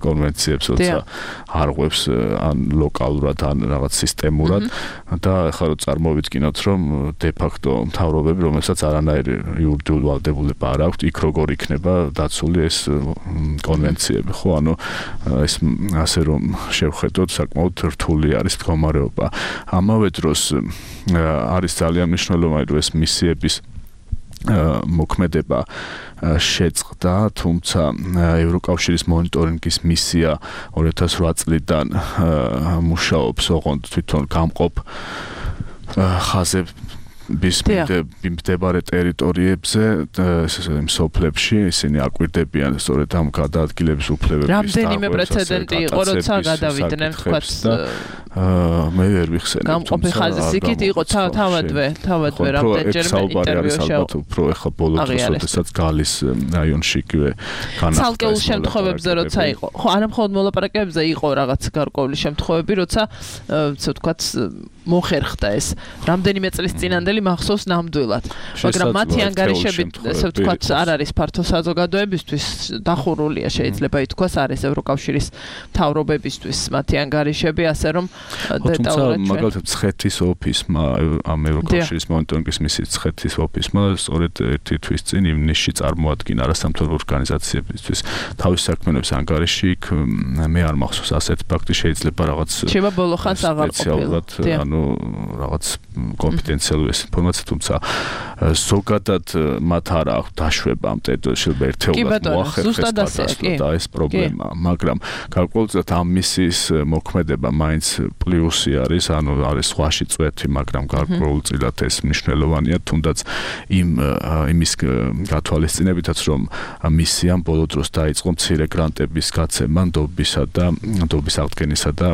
კონვენციებს, როცა არღვევს ან ლოკალურად ან რაღაც სისტემურად და ახლა რო წარმოვიდგინოთ, რომ de facto მთავრობები, რომელსაც არანაირი იურიდიული ვალდებულება არ აქვს, იქ როგორ იქნება დაცული ეს კონვენციები, ხო? ანუ ეს ასე რომ შევხედოთ, საკმაოდ რთული არის მდგომარეობა. ამავე დროს არის ძალიან მნიშვნელოვანი, რომ ეს მისიების მოქმედება შეწყდა, თუმცა ევროკავშირის მონიტორინგის მისია 2008 წლიდან მუშაობს, ოღონდ თვითონ გამყოფ ხაზების მიმდებარე ტერიტორიებზე, სოფლებში ისინი აკვირდებიან სწორედ ამ გადაადგილების უფლებების რამდენიმე პრეცედენტი იყო, როცა გადავიდნენ, თქვათ მე ვერ ვიხსენებ, გამყოფი ხაზის იქით იყო თავადვე რამდენჯერმე ინტერვიუში უფრო ეხლა ბოლო დროს, როდესაც გალის რაიონში იგივე განახლდა. ცალკეულ შემთხვევებზე როცა იყო, ხო, არა მხოლოდ მოლაპარაკებებზე იყო რაღაც გარკვეული შემთხვევები, როცა ასე ვთქვათ მოხერხდა ეს რამდენიმე წლის წინანდელი მახსოვს ნამდვილად, მაგრამ მათი ანგარიშები ასე ვთქვათ არ არის ფართო საზოგადოებისთვის დახურულია, შეიძლება ითქვას, არის ევროკავშირის მთავრობებისთვის მათი ანგარიშები, ასე რომ დეტალურად მაგალითად ცხეთის ოფისმა, ამ ევროკავშირის მონიტორინგის მისიის ცხეთის ოფისმა სწორედ ერთი თვის წინ ივნისში წარმოადგინა არასამთავრობო ორგანიზაციებისთვის თავის საქმიანობის ანგარიში, იქ მე არ მახსოვს ასეთ ფაქტი, შეიძლება რაღაც შეიძლება ბოლო ხანს აღარ ყოფილა, ანუ რაღაც კონფიდენციალური ინფორმაცია, თუმცა ზოგადად მათ არ აქვს დაშვება ამ ტერიტორიებში, ერთეულად მოახერხეს და ეს პრობლემა, მაგრამ გარკვეულწილად ამ მისიის მოქმედება მაინც პლუსი არის, ანუ არის სხვაში წვეთი, მაგრამ გარკვეულწილად ეს მნიშვნელოვანია, თუნდაც იმის გათვალისწინებითაც, რომ მისიამ ბოლო დროს დაიწყო მცირე გრანტების გაცემა ნდობის აღდგენისა და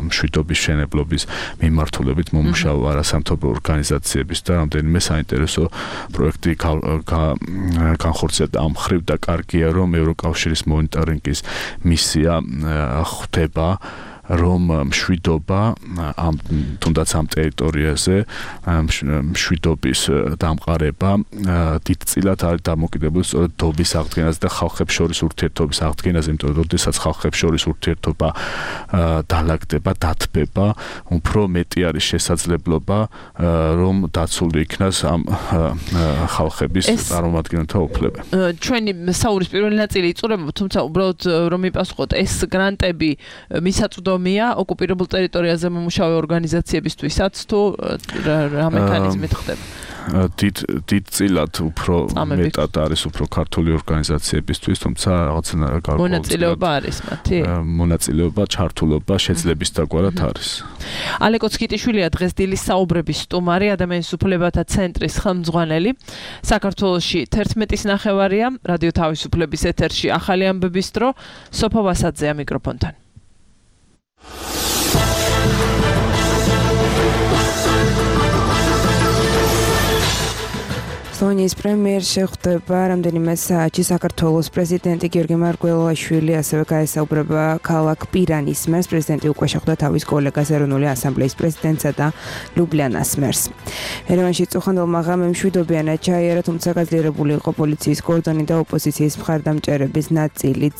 მშვიდობის მშენებლობის მიმართულებით მომუშავო არასამთავრობო ორგანიზაციების და რამდენიმე საინტერესო პროექტი განხორციელდა ამ მხრივ და კარგია, რომ ევროკავშირის მონიტორინგის მისია ხვდება რომ მშვიდობა ამ თუნდაც ამ ტერიტორიაზე მშვიდობის დამყარება დიდწილად არის დამოკიდებული სწორედ დობის აღდგენაზე და ხალხებს შორის ურთიერთობის აღდგენაზე, იმიტომ რომ როდესაც ხალხებს შორის ურთიერთობა დალაგდება, დათბება, უფრო მეტი არის შესაძლებლობა რომ დაცული იქნას ამ ხალხების წარმომადგენელთა უფლება. ჩვენი საუბრის პირველი ნაწილი იწურება, თუმცა უბრალოდ რომ მიპასუხოთ, ეს გრანტები მისაწვდომია ოკუპირებულ ტერიტორიაზე მომუშავე ორგანიზაციებისთვისაც თუ რა მექანიზმით ხდება? დიდწილად უფრო მეტად არის უფრო ქართული ორგანიზაციებისთვის, თუმცა რაღაცა მონაწილეობა არის მათი? მონაწილეობა, ჩართულობა შეძლების დაგვარად არის. ალეკო ცკიტიშვილია დღეს დილის საუბრების სტუმარი, ადამიანის უფლებათა ცენტრის ხელმძღვანელი. საქართველოში 11:09-ია, რადიო თავისუფლების ეთერში ახალი ამბების დრო, სოფო ვასაძეა მიკროფონთან. სლოვენიის პრემიერ შეხვდება რამდენიმე საათში საქართველოს პრეზიდენტი გიორგი მარგველაშვილი, ასევე გაესაუბრება ქალაქ პირანის მერს. პრეზიდენტი უკვე შეხვდა თავის კოლეგას ეროვნული ასამბლეის პრეზიდენტსა და ლუბლიანას მერს. ერევანში წუხანდელმა ღამემ მშვიდობიანად ჩაიარა, თუმცა გაძლიერებული იყო პოლიციის კორდონი და ოპოზიციის მხარდამჭერების ნაწილიც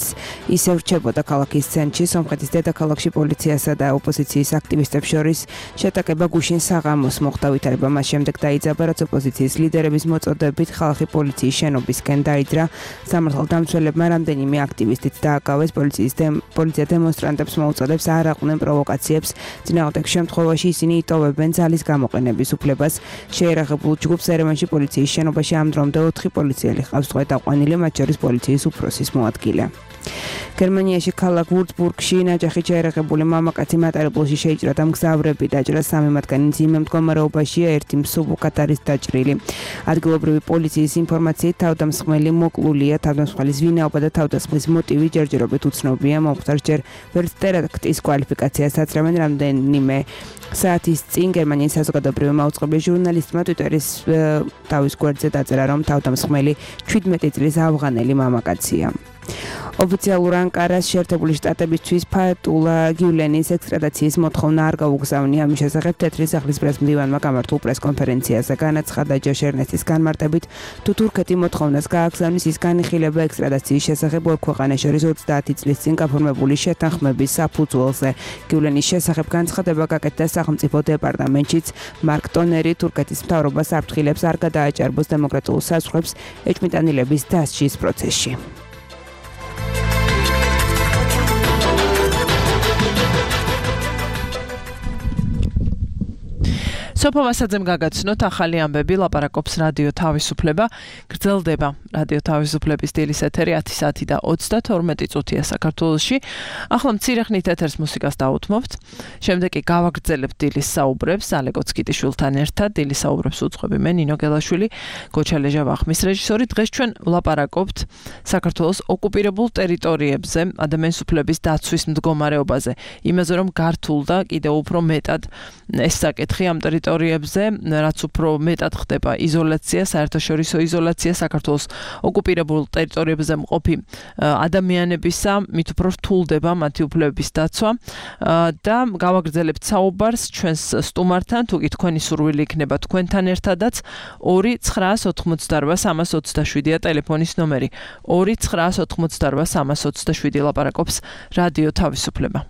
ისევ რჩებოდა ქალაქის ცენტრში. სომხეთის დედაქალაქში პოლიციასა და ოპოზიციის აქტივისტებს შორის შეტაკება გუშინ საღამოს მოხდა, ვითარება მას შემდეგ დაიძაბა, რაც ოპოზიციის ლიდერების წოდებით ხალხი პოლიციის შენობისკენ დაიძრა. სამართალდამცველებმა რამდენიმე აქტივისტიც დააკავეს. პოლიცია დემონსტრანტებს მოუწოდებს არ აყვნენ პროვოკაციებს. წინააღმდეგ შემთხვევაში ისინი იტოვებენ ძალის გამოყენების უფლებას. შეერაღებულ ჯგუფს ერევანში პოლიციის შენობაში ამ დრომდე 4 პოლიციელი ჰყავს წყვეტაყვანილი, მათ შორის პოლიციის უფროსის მოადგილე. გერმანიაში ქალაქ ვურცბურგში ნაჯახი შეერაღებული მამაკაცი მატარებლში შეიჭრა და მგზავრები დაჭრა. 3 მათგანი მძიმე მდგომარეობაშია, ერთი მსუბუქად არის დაჭრილი. ადგილობრივი პოლიციის ინფორმაციით თავდამსხმელი მოკლულია. თავდამსხმელის ვინაობა და თავდასხმის მოტივი ჯერჯერობით უცნობია. მომხდარს ჯერ ვერც ტერაქტის კვალიფიკაციას აცრამენ. რამდენიმე საათის წინ გერმანიის საზოგადოებრივი მაუწყებლის ჟურნალისტმა ტვიტერის თავის გვერდზე დაწერა, რომ თავდამსხმელი 17 წლის ავღანელი მამაკაცია. ოფიციალურ ანკარას შეერთებული შტატებისთვის ფატულა გიულენის ექსტრადიციის მოთხოვნა არ გაუგზავნია. ამის შესახებ თეთრი სახლის პრესმდივანმა გამართულ პრესკონფერენციაზე განაცხადა ჯოშერნესის განმარტებით, თუ თურქეთი მოთხოვნას გააგზავნის, ის განიხილება ექსტრადიციის შესახებ ორ ქვეყანას შორის 30 წლის წინ გაფორმებული შეთანხმების საფუძველზე. გიულენის შესახებ განცხადება გაკეთდა სახელმწიფო დეპარტამენტშიც. მარკ ტონერი თურქეთის მთავრობას აფრთხილებს არ გადააჭარბოს დემოკრატიულ საზღვრებს ეჭვმიტანილების დასჯის პროცესში. სოფო ვასაძემ გაგაცნოთ ახალი ამბები, ლაპარაკობს რადიო თავისუფლება. გრძელდება რადიო თავისუფლების დილის ეთერი 10 საათი და 32 წუთია საქართველოში. ახლა მცირე ხნით ეთერს მუსიკას დაუთმობთ. შემდეგ კი გავაგრძელებთ დილის საუბრებს ალეკო ცკიტიშვილთან ერთად. დილის საუბრებს უძღვები მე ნინო გელაშვილი, გოჩა ლეჟავახმის რეჟისორი. დღეს ჩვენ ვლაპარაკობთ საქართველოს ოკუპირებულ ტერიტორიებზე, ადამიანის უფლების დაცვის მდგომარეობაზე. იმაზე რომ გართულდა კიდევ უფრო მეტად ეს საკითხი ამ ტერიტორიებზე, რაც უფრო მეტად ხდება იზოლაცია, საერთაშორისო იზოლაცია საქართველოს ოკუპირებულ ტერიტორიებზე მყოფი ადამიანებისა, მით უფრო რთულდება მათი უფლებების დაცვა და გავაგრძელებთ საუბარს ჩვენს სტუმართან, თუ კი თქვენი სურვილი იქნება თქვენთან ერთადაც. 2988327-ია ტელეფონის ნომერი. 2988327 ლაპარაკობს რადიო თავისუფლება.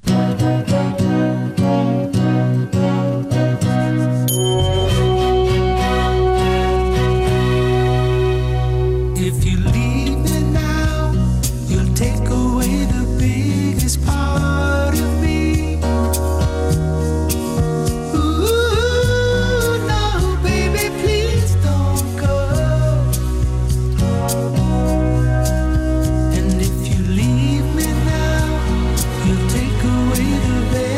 And if you leave me now, you'll take away the best.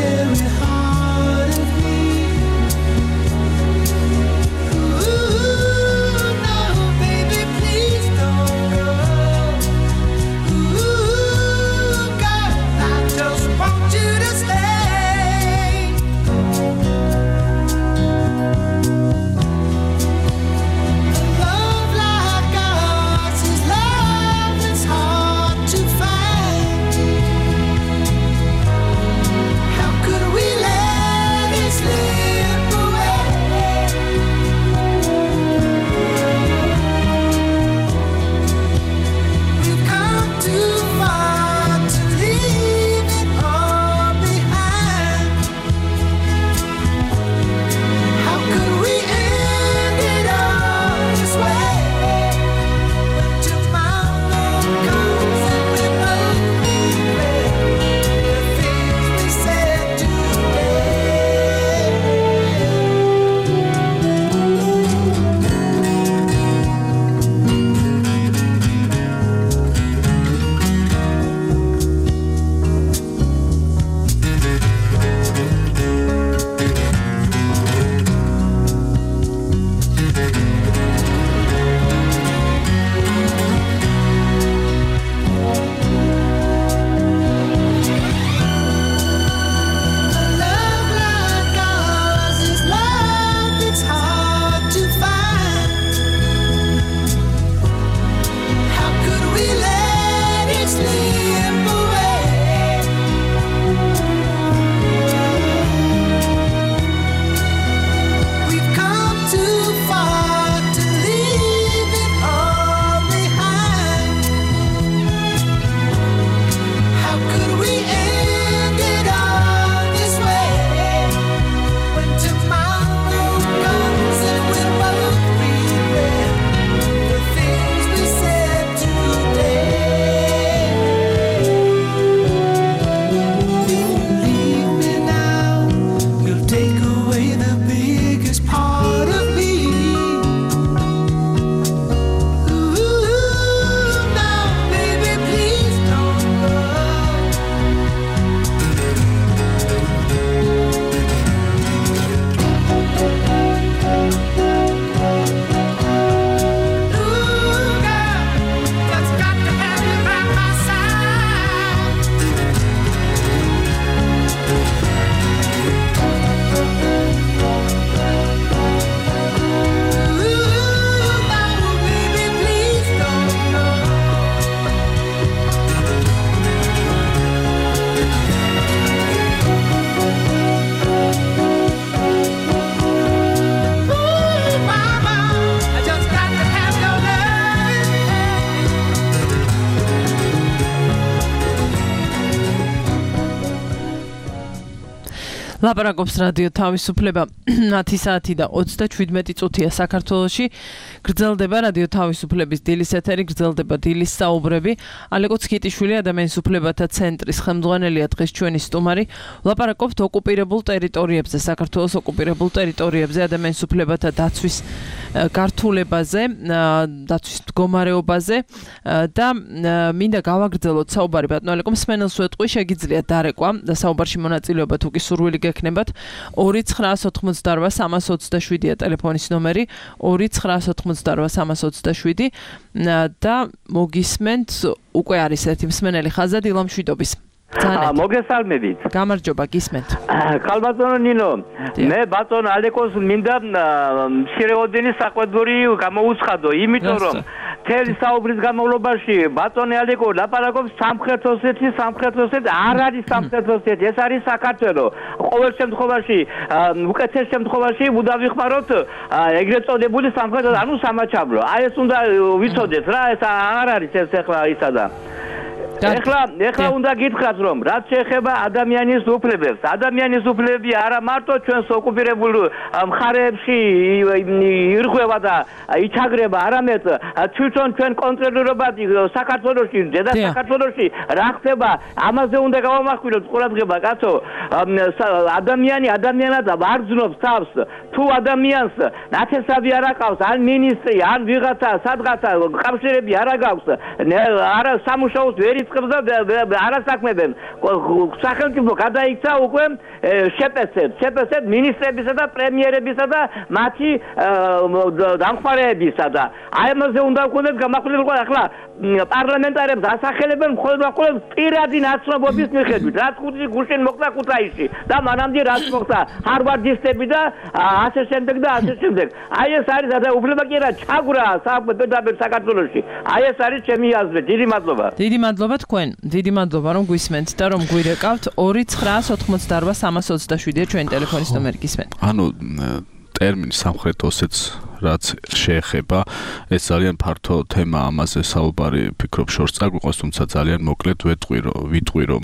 ლაპარაკობს რადიო თავისუფლება 10 საათი და 37 წუთია საქართველოში. გრძელდება რადიო თავისუფლების დილის ეთერი, გრძელდება დილის საუბრები. ალეკო ცქიტიშვილი ადამიანის უფლებათა ცენტრის ხელმძღვანელია დღეს ჩვენი სტუმარი. ლაპარაკობთ ოკუპირებულ ტერიტორიებზე, საქართველოს ოკუპირებულ ტერიტორიებზე ადამიანის უფლებათა დაცვის გართულებაზე, დაცვის მდგომარეობაზე და მინდა გავაგრძელოთ საუბარი ბატონო ალეკო მსმენელს ვეტყვი, შეგიძლიათ დარეკვა და საუბარში მონაწილეობა თუ კი სურვილი გექნებათ 2988327-ია ტელეფონის ნომერი 2988327 და მოგისმენთ უკვე არის ერთი მსმენელი ხაზად ილამშვიდობის მოგესალმებით. გამარჯობა, გისმენთ. ხალბატონო ნინო, მე ბატონო ალეკოს მინდა მცირეოდენი საყვედური გამოუცხადო, იმიტომ რომ თელი საუბრის განმავლობაში ბატონი ალეკო ლაპარაკობს სამხრეთ ოსეთის არ არის სამხრეთ ოსეთი, ეს არის საქართველო. ყოველ შემთხვევაში, უკეთეს შემთხვევაში ვუდავიხმაროთ ეგრეთ წოდებული სამხრეთ, ანუ სამაჩაბლო. აი ეს უნდა ვიცოდეთ რა, ეს არ არის ეს ახლა ისა და ეხლა უნდა გითხრათ რომ რაც შეეხება ადამიანის უფლებებს, ადამიანის უფლებები არა მარტო ჩვენს ოკუპირებულ მხარეებში ირღვევა და იჩაგრება, არამედ თვითონ ჩვენ კონტროლირებად საქართველოში, ზედა საქართველოში რა ხდება, ამაზე უნდა გავამახვილოთ ყურადღება, კაცო. ადამიანად ვარძნობს თავს, თუ ადამიანს ნათესავი არ აყავს, ან მინისტრი, ან ვიღაცა, სადღაცა კავშირები არ აქვს, არა სამუშაოს ვერ არასაქმებენ. სახელმწიფო გადაიქცა უკვე შეპესეთ მინისტრებისა და პრემიერებისა და მათი დამხმარეებისა და აი ამაზე უნდა ვქონდეთ გამახვილება. ახლა პარლამენტარებს ასახელებენ მხოლოდ პირადი ნაცნობობის მიხედვით, რაც ხუთი გუშინ მოხდა ქუთაისში და მანამდე რაც მოხდა ჰარვარდისტები და ასე შემდეგ. აი ეს არის უფლება კი არა ჩაგვრა საქართველოში. აი ეს არის ჩემი აზრი. დიდი მადლობა. დიდი მადლობა თქვენ. დიდი მადლობა რომ გვისმენთ და რომ გვირეკავთ. 2988327-ია ჩვენი ტელეფონის ნომერი, გისმენთ. ანუ ტერმინი სამხრეთ ოსეთს რაც შეეხება, ეს ძალიან ფართო თემა, ამაზე საუბარი ფიქრობ შორს წაგვიყოს, თუმცა ძალიან მოკლედ ვიტყვი რომ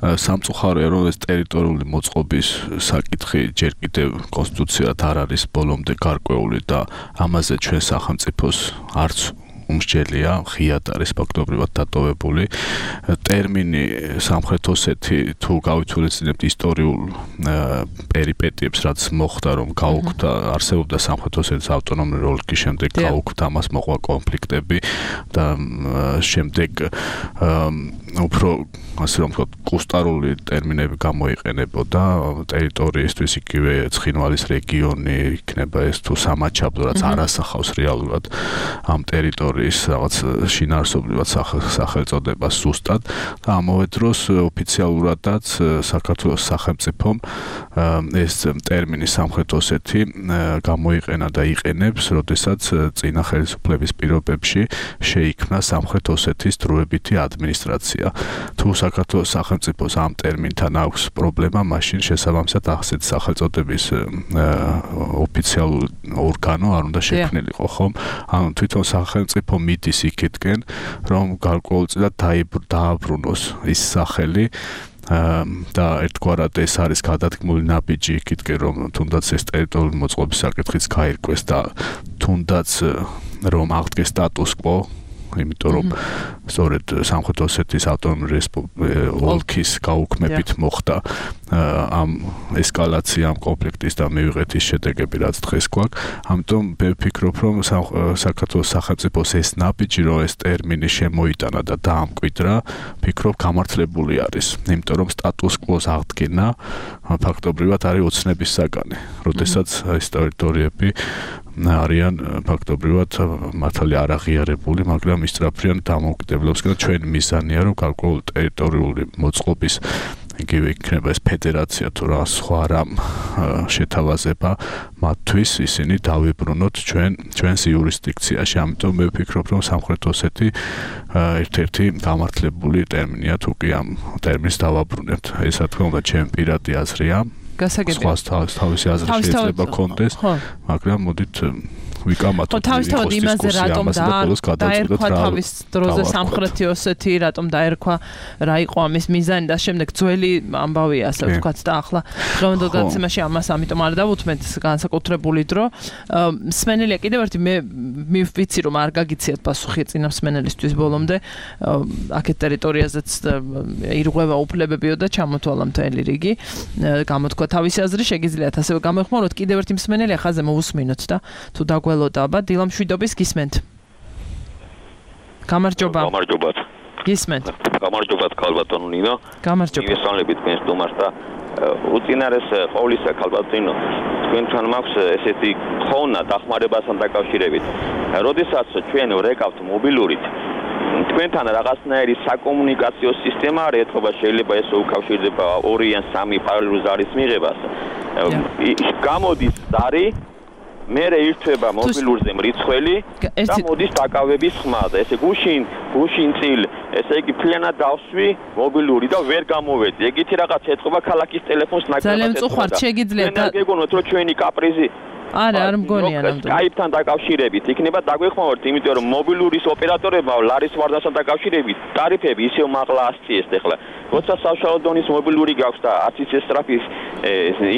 სამწუხაროა რომ ეს ტერიტორიული მოწყობის საკითხი ჯერ კიდევ კონსტიტუციად არ არის ბოლომდე გარკვეული და ამაზე ჩვენ სახელმწიფოს არც უმსჯელია, ხიად არის ფაქტობრივად დატოვებული. ტერმინი სამხრეთ ოსეთი თუ გავითვალისწინებთ ისტორიულ პერიპეტიებს, რაც მოხდა, რომ გაუქმდა, არსებობდა სამხრეთ ოსეთის ავტონომიური ოლქის, შემდეგ გაუქმდა, ამას მოყვა კონფლიქტები და შემდეგ უფრო ასე რომ ვთქვათ, კუსტარული ტერმინები გამოიყენებოდა ტერიტორიისთვის, იგივე ცხინვალის რეგიონი იქნება ეს თუ სამაჩაბლო, რაც არ ასახავს რეალურად ამ ტერიტორიის რაღაც შინაარსობრივად სახელწოდებას ზუსტად და ამავე დროს ოფიციალურადაც საქართველოს სახელმწიფომ ეს ტერმინი სამხრეთ ოსეთი გამოიყენა და იყენებს, როდესაც წინა ხელისუფლების პირობებში შეიქმნა სამხრეთ ოსეთის დროებითი ადმინისტრაცია. თუ საქართველოს სახელმწიფოს ამ ტერმინთან აქვს პრობლემა, მაშინ შესაბამისად ახსეთ სახელწოდების ოფიციალური ორგანო არ უნდა შექმნილიყო, ხომ? ანუ თვითონ სახელმწიფო მიდის იქითკენ, რომ გარკვეულწილად დააბრუნოს ის სახელი და ერთგვარად ეს არის გადადგმული ნაბიჯი იქითკენ, რომ თუნდაც ეს ტერიტორიული მოწყობის საკითხიც გაირკვეს და თუნდაც რომ აღდგეს სტატუს კვო, იმიტომ რომ სწორედ სამხრეთ ოსეთის ავტონომიური ოლქის გაუქმებით მოხდა ამ ესკალაცია ამ კონფლიქტის და მივიღეთ ის შედეგები, რაც დღეს გვაქვს. ამიტომ მე ვფიქრობ, რომ საქართველოს სახელმწიფოს ეს ნაბიჯი, რომ ეს ტერმინი შემოიტანა და დაამკვიდრა, ვფიქრობ გამართლებული არის, იმიტომ რომ სტატუს კვოს აღდგენა ფაქტობრივად არის ოცნების საგანი, როდესაც ეს ტერიტორიები არიან ფაქტობრივად მართალი არ აღიარებული, მაგრამ ისწრაფიან დამოუკიდებლობისკენ. ჩვენი მიზანია, რომ გარკვეული ტერიტორიული მოწყობის იგივე იქნება ეს ფედერაცია თუ რა სხვა რამ შეთავაზება მათთვის ისინი დავიბრუნოთ ჩვენს იურისდიქციაში. ამიტომ მე ვფიქრობ, რომ სამხრეთ ოსეთი ერთ-ერთი გამართლებული ტერმინია, თუ კი ამ ტერმინს დავაბრუნებთ. ეს რა თქმა უნდა ჩემი პირადი აზრია. გასაგებია. თავისი აზრი შეიძლება კონდეს, მაგრამ მოდით ვიკამათოთ. თავისთავად იმაზე რატომ დაერქვა თავის დროზე სამხრეთი ოსეთი, რატომ დაერქვა, რა იყო ამის მიზანი და შემდეგ ძველი ამბავია, ასე ვთქვათ და ახლა დღევანდელ გადაცემაში ამას ამიტომ არ დავუთმეთ განსაკუთრებული დრო. მსმენელია კიდევ ერთი მე ვიცი რომ არ გაგიციათ პასუხი წინა მსმენელისთვის ბოლომდე აქეთ ტერიტორიაზეც ირღვევა უფლებებიო და ჩამოთვალა მთელი რიგი გამოთქვა თავისი აზრი შეგიძლიათ ასევე გამოეხმაროთ კიდევ ერთი მსმენელი ახაზე მოусმინოთ და თუ დაგველოთ აბა დილამშვიდობის გისმენთ გამარჯობა გისმენთ გამარჯობათ ქალბატონო ნინო გამარჯობა მოგესალმებით თქვენ სტუმარს და უწინარეს ყოვლისა ქალბატონო თქვენთან მაქვს ესეთი ხონა დახმარებასთან დაკავშირებით როდესაც ჩვენ ვრეკავთ მობილურით თქვენთან რაღაცნაირი საკომუნიკაციო სისტემა არ ეთქობა შეიძლება ეს უკავშირდება 2 ან 3 პარალელურ ზარის მიღებას გამოდის ზარი მე ირთვება მობილურზე მრიცხველი და მოდის დაკავების ხმა და ესე გუშინ წილ ესე იგი ფლიანად დავსვი მობილური და ვერ გამოვედი ეგეთი რაღაც ეთქობა ქალაქის ტელეფონს ნაკლებად ძალიან წუხართ შეგიძლიათ და გეგონოთ რომ ჩვენი კაპრიზი არ მგონია ნამდვილად. Skype-თან დაკავშირებით იქნება დაგვეხმაროთ, იმიტომ რომ მობილურის ოპერატორებმა ლარის ვარდასთან დაკავშირებით ტარიფები ისევ მაღლა ასწიეს ახლა. როცა საშუალო დონის მობილური გაქვს და 10 სტრაფის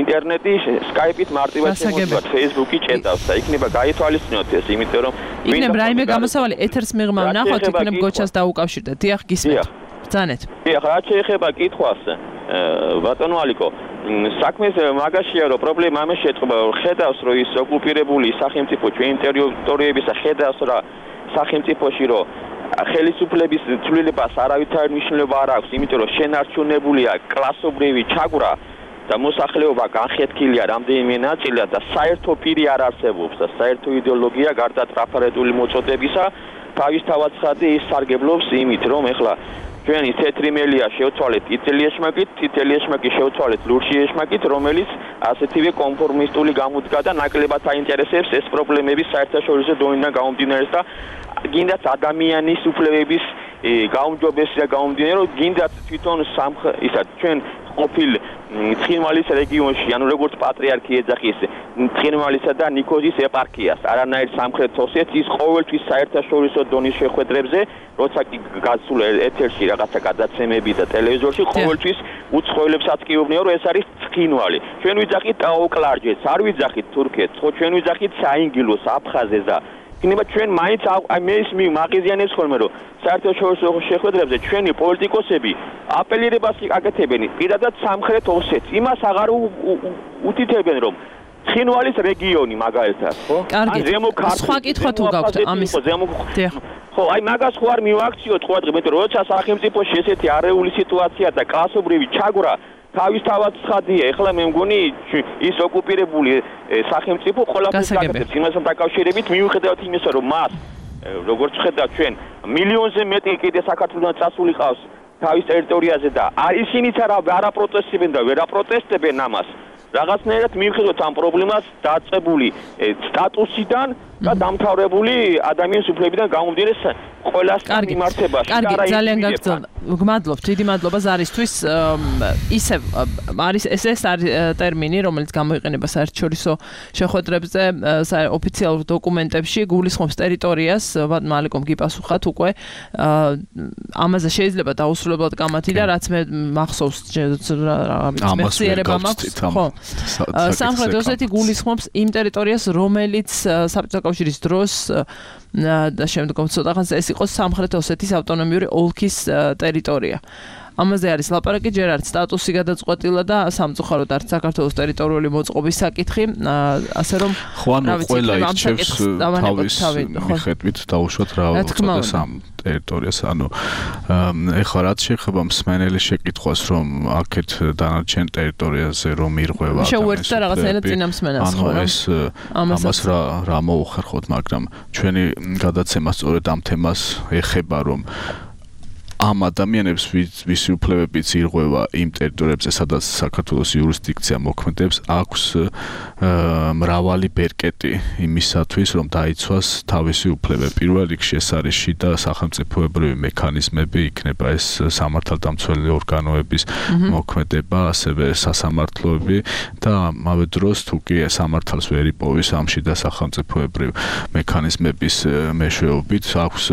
ინტერნეტი, Skype-ით მარტივად შემოგვიყვანთ, Facebook-ი ჭედავს და იქნება გაითვალისწინოთ ეს, იმიტომ რომ იქნება რაიმე გამოსავალი ეთერს მიღმა ვნახოთ, იქნება გოჩას დაუკავშირდეთ. დიახ, გისმენთ. ბრძანეთ. დიახ, რა შეეხება კითხვას, ბატონო ალიკო საქმეს მაგაშია რომ პრობლემა ამას შეწყობა ხედავს რომ ის ოკუპირებული სახელმწიფო ჩვენი ტერიტორიების ხედავს რა სახელმწიფოში რომ ხელისუფლების ცვლილებას არავითარი მნიშვნელობა არ აქვს იმიტომ რომ შენარჩუნებულია კლასობრივი ჩაგვრა და მოსახლეობა განხეთქილია რამდენიმე ნაწილად და საერთო პირი არ არსებობს და საერთო იდეოლოგია გარდა ტრაფარეტული მოწოდებისა თავისთავად ცხადი ის სარგებლობს იმით რომ ეხლა ჩვენი თეთრი მელია შევცვალეთ იტალიის ეშმაკით, იტალიის ეშმაკი შევცვალეთ ლურჯი ეშმაკით, რომელიც ასეთივე კონფორმისტული გამოდგა და ნაკლებად აინტერესებს ეს პრობლემები საერთაშორისო დონიდან გამომდინარეობს და გინდათ ადამიანის უფლებების გაუმჯობესება და გამომდინარე რომ გინდათ თვითონ ჩვენ ყოფილ ცხინვალის რეგიონში, ანუ როგორც პატრიარქი ეძახის ცხინვალისა და ნიქოზის ეპარქიას, არანაირ სამხრეთ ოსეთის ყოველთვის საერთაშორისო დონის შეხვედრებზე, როცა კი გასულ ეთერში რაღაცა გადაცემები და ტელევიზორში ყოველთვის უცხოელებსაც კი უბნია, რომ ეს არის ცხინვალი. ჩვენ ვიძახით ტაოკლარჯეთს, არ ვიძახით თურქეთს, ხო ჩვენ ვიძახით საინგილოს, აფხაზეს და იქნება ჩვენ მაინც მე ის მაღიზიანებს ხოლმე რომ საერთაშორისო შეხვედრებზე ჩვენი პოლიტიკოსები აპელირებას აკეთებენ პირადად სამხრეთ ოსეთს იმას აღარ უთითებენ რომ ცხინვალის რეგიონი მაგალითად ხო ან სხვა კითხვა თუ გაქვთ ამის ხო აი მაგას ხო არ მივაქციოთ ყوادღი მეტყვი როცა სახელმწიფოში ესეთი არეული სიტუაცია და კლასობრივი ჩაგვრა თავისთავად ცხადია ეხლა მე მგონი ის ოკუპირებული სახელმწიფო ყველაფერს გაკეთებს იმასთან დაკავშირებით მიუხედავად იმისა რომ მას როგორც ხედავთ ჩვენ მილიონზე მეტი კიდე საქართველოსთან წასული ყავს თავის ტერიტორიაზე და ისინიც არა პროტესტებენ და ვერ აპროტესტებენ ამას რაღაცნაირად მიუხედავად ამ პრობლემას დაწყებული სტატუსიდან და დამთავრებული ადამიანის უფლებიდან გამომდინარე ყველასთან მიმართებაში. კარგი, ძალიან გაგრძელდა. გმადლობთ, დიდი მადლობა ზარისთვის. ისევ არის ეს არის ტერმინი, რომელიც გამოიყენება საერთაშორისო შეხვედრებზე, ოფიციალურ დოკუმენტებში, გულისხმობს ტერიტორიას, მალიკომ გიპასუხათ უკვე. ამაზე შეიძლება დაუსრულებლად გამათი და რაც მე მახსოვს მეხსიერება მაქვს, ხო. სამხრეთ ოსეთი გულისხმობს იმ ტერიტორიას, რომელიც საბჭოთა კავშირის დროს და შემდგომ ცოტა ხანს ეს იყო სამხრეთ ოსეთის ავტონომიური ოლქის ტერიტორია. ამაზე არის ლაპარაკი, ჯერ არც სტატუსი გადაწყვეტილა და სამწუხაროდ არც საქართველოს ტერიტორიული მოწყობის საკითხი, ასე რომ ყველა ირჩევს თავის მიხედვით დაუშვათ რა უწოდეს ამ ტერიტორიას, ანუ ეხლა რაც შეეხება მსმენელის შეკითხვას, რომ აქეთ დანარჩენ ტერიტორიაზე რომ ირღვევა შეუერთდა რაღაცნაირად წინა მსმენელს, ხო? ამას რა მოუხერხოთ, მაგრამ ჩვენი გადაცემა სწორედ ამ თემას ეხება, რომ ამ ადამიანებს ვისი უფლებებიც ირღვევა იმ ტერიტორიებზე, სადაც საქართველოს იურისდიქცია მოქმედებს, აქვს მრავალი ბერკეტი იმისათვის, რომ დაიცვას თავისი უფლებები. პირველ რიგში ეს არის შიდა სახელმწიფოებრივი მექანიზმები, იქნება ეს სამართალდამცველი ორგანოების მოქმედება, ასევე სასამართლოები და ამავე დროს თუ კი სამართალს ვერ იპოვის ამ შიდა სახელმწიფოებრივ მექანიზმების მეშვეობით, აქვს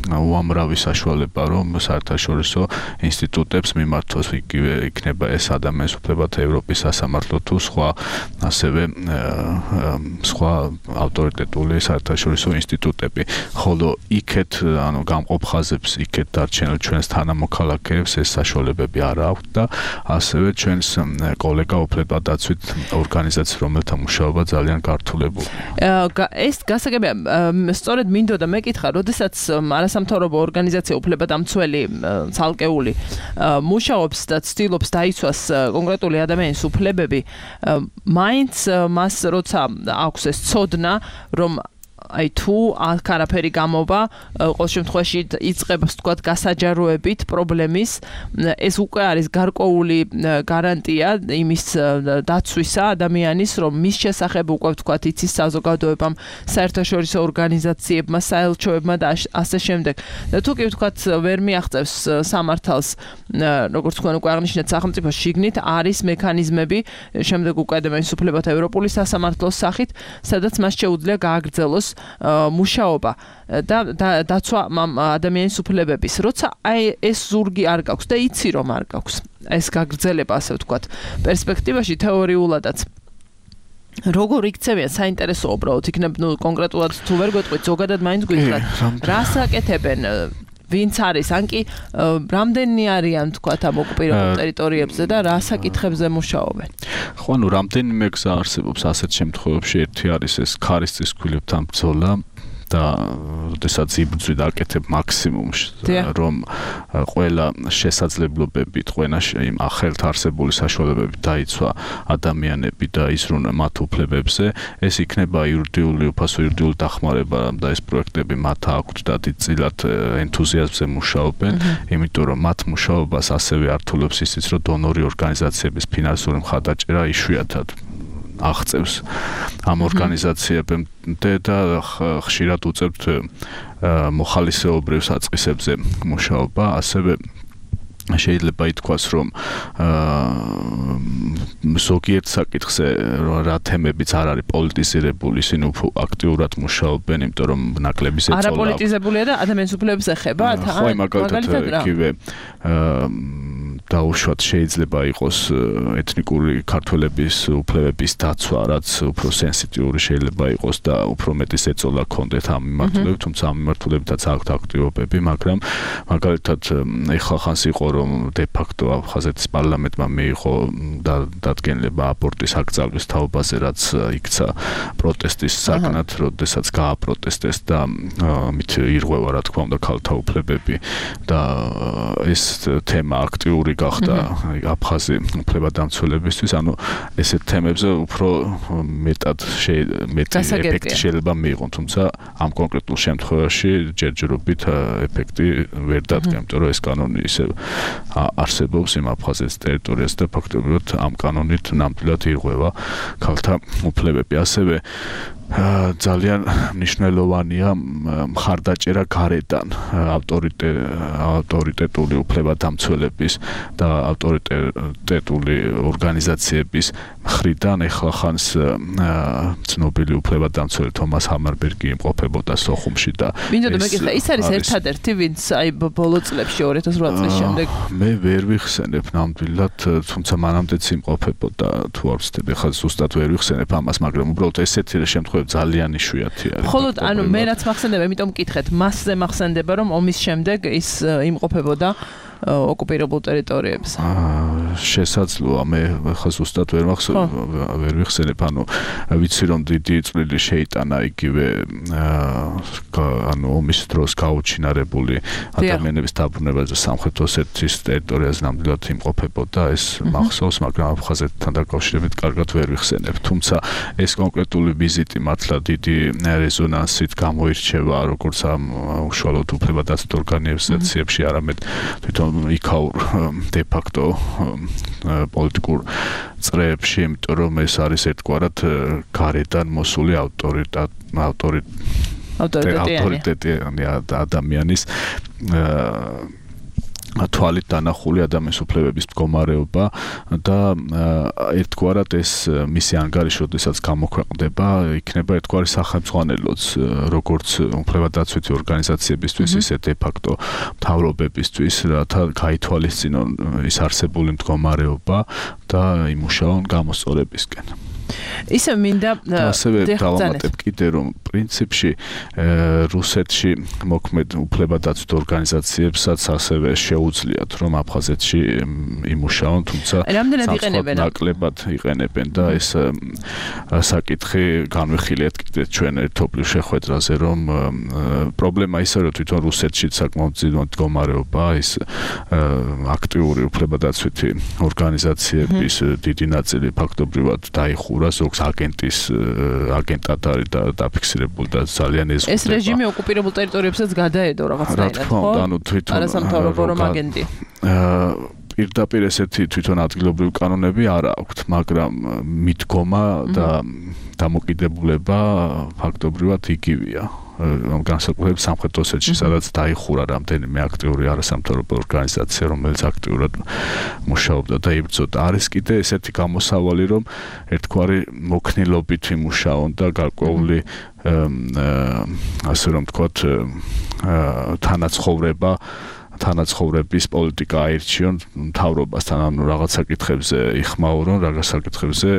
უამრავი საშუალება, რომ საერთაშორისო ინსტიტუტებს მიმართოს, იგივე იქნება ეს ადამიანის უფლებათა ევროპის სასამართლო თუ სხვა, ასევე სხვა ავტორიტეტული საერთაშორისო ინსტიტუტები. ხოლო იქეთ, ანუ გამყოფ ხაზებს იქეთ დარჩენილ ჩვენს თანამოქალაქეებს ეს საშუალებები არ აქვთ და ასევე ჩვენს კოლეგა უფლებადაცვით ორგანიზაცია, რომელთა მუშაობა ძალიან გართულებული. ეს გასაგებია, სწორედ მინდოდა მეკითხა, როდესაც არასამთავრობო ორგანიზაცია უფლებადამცველი ცალკეული მუშაობს და ცდილობს დაიცვას კონკრეტული ადამიანის უფლებები, მაინც მას როცა აქვს ეს ცოდნა, რომ აი თუ არაფერი გამოვა, ყოველ შემთხვევაში იწყება ვთქვათ გასაჯაროებით პრობლემის, ეს უკვე არის გარკვეული გარანტია იმის დაცვისა ადამიანის, რომ მის შესახებ უკვე ვთქვათ იცის საზოგადოებამ, საერთაშორისო ორგანიზაციებმა, საელჩოებმა და ასე შემდეგ. და თუ კი ვთქვათ ვერ მიაღწევს სამართალს, როგორც თქვენ უკვე აღნიშნეთ, სახელმწიფოს შიგნით არის მექანიზმები, შემდეგ უკვე ადამიანის უფლებათა ევროპული სასამართლოს სახით, სადაც მას შეუძლია გააგრძელოს მუშაობა და დაცვა ადამიანის უფლებების. როცა აი ეს ზურგი არ გაქვს და იცი რომ არ გაქვს ეს გაგრძელება, ასე ვთქვათ, პერსპექტივაში თეორიულადაც როგორ იქცევიან საინტერესო უბრალოდ იქნებ კონკრეტულად თუ ვერ გვეტყვით, ზოგადად მაინც გითხრათ, რას აკეთებენ, ვინც არის, ან კი რამდენი არიან თქვათ ამ ოკუპირებულ ტერიტორიებზე და რა საკითხებზე მუშაობენ? ხო, ანუ რამდენიმე გზა არსებობს ასეთ შემთხვევებში. ერთი არის ეს ქარის ქვილებთან ბრძოლა და როდესაც იბრძვით აკეთებ მაქსიმუმს, რომ ყველა შესაძლებლობებით, ყველა იმ ახალთ არსებული საშუალებებით დაიცვა ადამიანები და იზრუნა მათ უფლებებზე, ეს იქნება იურიდიული უფასო, იურიდიული დახმარება და ეს პროექტები მათ აქვთ და დიდწილად ენთუზიაზმზე მუშაობენ, იმიტომ რომ მათ მუშაობას ასევე ართულებს ისიც, რომ დონორი ორგანიზაციების ფინანსური მხარდაჭერა იშვიათად აღწევს ამ ორგანიზაციებამდე და ხშირად უწევთ მოხალისეობრივ საწყისებზე მუშაობა, ასევე შეიძლება ითქვას, რომ ზოგიერთ საკითხზე რა თემებიც არ არის პოლიტიზირებული, ისინი უფრო აქტიურად მუშაობენ, იმიტომ რომ ნაკლების ეწოლა. არაპოლიტიზებულია და ადამიანის უფლებებს ეხება, ხო, მაგალითად იგივე დაუშვათ შეიძლება იყოს ეთნიკური ქართველების უფლებების დაცვა, რაც უფრო სენსიტიური შეიძლება იყოს და უფრო მეტის ეწოლა ჰქონდეთ ამ მიმართულებით, თუმცა ამ მიმართულებითაც აქვთ აქტივობები, მაგრამ მაგალითად ეხლა ხანს იყო, რომ დე-ფაქტო აფხაზეთის პარლამენტმა მიიღო დადგენილება აბორტის აკრძალვის თაობაზე, რაც იქცა პროტესტის საგნად, როდესაც გააპროტესტეს და მით ირღვევა, რა თქმა უნდა, ქალთა უფლებები და ეს თემა აქტიური გახდა აფხაზი უფლებადამცველებისთვის, ანუ ესეთ თემებზე უფრო მეტი ეფექტი შეიძლება მიიღონ, თუმცა ამ კონკრეტულ შემთხვევაში ჯერჯერობით ეფექტი ვერ დადგა, იმიტომ რომ ეს კანონი ისე არსებობს იმ აფხაზეთის ტერიტორიაზე და ფაქტობრივად ამ კანონით ნამდვილად ირღვევა ქალთა უფლებები. ასევე ძალიან მნიშვნელოვანია მხარდაჭერა გარედან ავტორიტეტული უფლებადამცველების და ავტორიტეტული ორგანიზაციების მხრიდან. ეხლა ხანს ცნობილი უფლებადამცველი თომას ჰამარბერგი იმყოფებოდა სოხუმში და ის არის ერთადერთი, ვინც აი ბოლო წლებში 2008 წლის შემდეგ მე ვერ ვიხსენებ ნამდვილად, თუმცა მანამდეც იმყოფებოდა, თუ არ ვცდები, ეხლა ზუსტად ვერ ვიხსენებ ამას, მაგრამ უბრალოდ ესეთი შემთხვევები ძალიან იშვიათი არის. ხოლო ანუ მე რაც მახსენდება, იმიტომ მკითხეთ, მასზე მახსენდება, რომ ომის შემდეგ ის იმყოფებოდა ოკუპირებულ ტერიტორიებზე. შესაძლოა მე ხა ზუსტად ვერ ვიხსენებ ანუ ვიცი რომ დიდი წვლილი შეიტანა იგივე ანუ ომის დროს გაუჩინარებული ადამიანების დაბრუნებაზე სამხრეთ ოსეთის ტერიტორიაზე ნამდვილად იმყოფებოდა ეს მახსოვს მაგრამ აფხაზეთთან დაკავშირებით კარგად ვერ ვიხსენებ თუმცა ეს კონკრეტული ვიზიტი მართლა დიდი რეზონანსით გამოირჩევა როგორც ამ უშუალოდ უფლებადაცვით ორგანიზაციებში არამედ თვითონ იქაურ de facto პოლიტიკურ წრეებში, იმიტომ რომ ეს არის ერთგვარად გარედან მოსული ავტორიტეტი ადამიანის თვალით დანახული ადამიანის უფლებების მდგომარეობა და ერთგვარად ეს მისი ანგარიში, როდესაც გამოქვეყნდება, იქნება ერთგვარი სახელმძღვანელოც, როგორც უფლებადაცვითი ორგანიზაციებისთვის, ისე de facto მთავრობებისთვის, რათა გაითვალისწინონ ის არსებული მდგომარეობა და იმუშაონ გამოსწორებისკენ. ისე მინდა ასევე დავამატებ კიდე რომ პრინციპში რუსეთში მოქმედ უფლებადაცვით ორგანიზაციებსაც ასევე შეუძლიათ რომ აფხაზეთში იმუშაონ თუმცა ნაკლებად იყენებენ და ეს საკითხი განვიხილეთ კიდე ჩვენ ერთობლივ შეხვედრაზე რომ პრობლემა ისაა რომ თვითონ რუსეთში საკმაოდ ძლიერი მდგომარეობა ის აქტიური უფლებადაცვითი ორგანიზაციების დიდი ნაწილი ფაქტობრივად დაიხურა ზოგს აგენტად არის დაფიქსირებული და ძალიან ეზღუდება. ეს რეჟიმი ოკუპირებულ ტერიტორიებსაც გადაედო რაღაცნაირად, ხო? ანუ თვითონ არასამთავრობო რომ აგენტი. პირდაპირ ესეთი თვითონ ადგილობრივი კანონები არ აქვთ, მაგრამ მიდგომა და დამოკიდებულება ფაქტობრივად იგივეა. განსაკუთრებით სამხრეთ ოსეთში, სადაც დაიხურა რამდენიმე აქტიური არასამთავრობო ორგანიზაცია, რომელიც აქტიურად მუშაობდა და იბრძოდა. არის კიდე ესეთი გამოსავალი, რომ ერთგვარი მოქნილობით იმუშაონ და გარკვეული ასე რომ ვთქვათ, თანაცხოვრების პოლიტიკა აირჩიონ მთავრობასთან, ანუ რაღაც საკითხებზე იხმაურონ, რაღაც საკითხებზე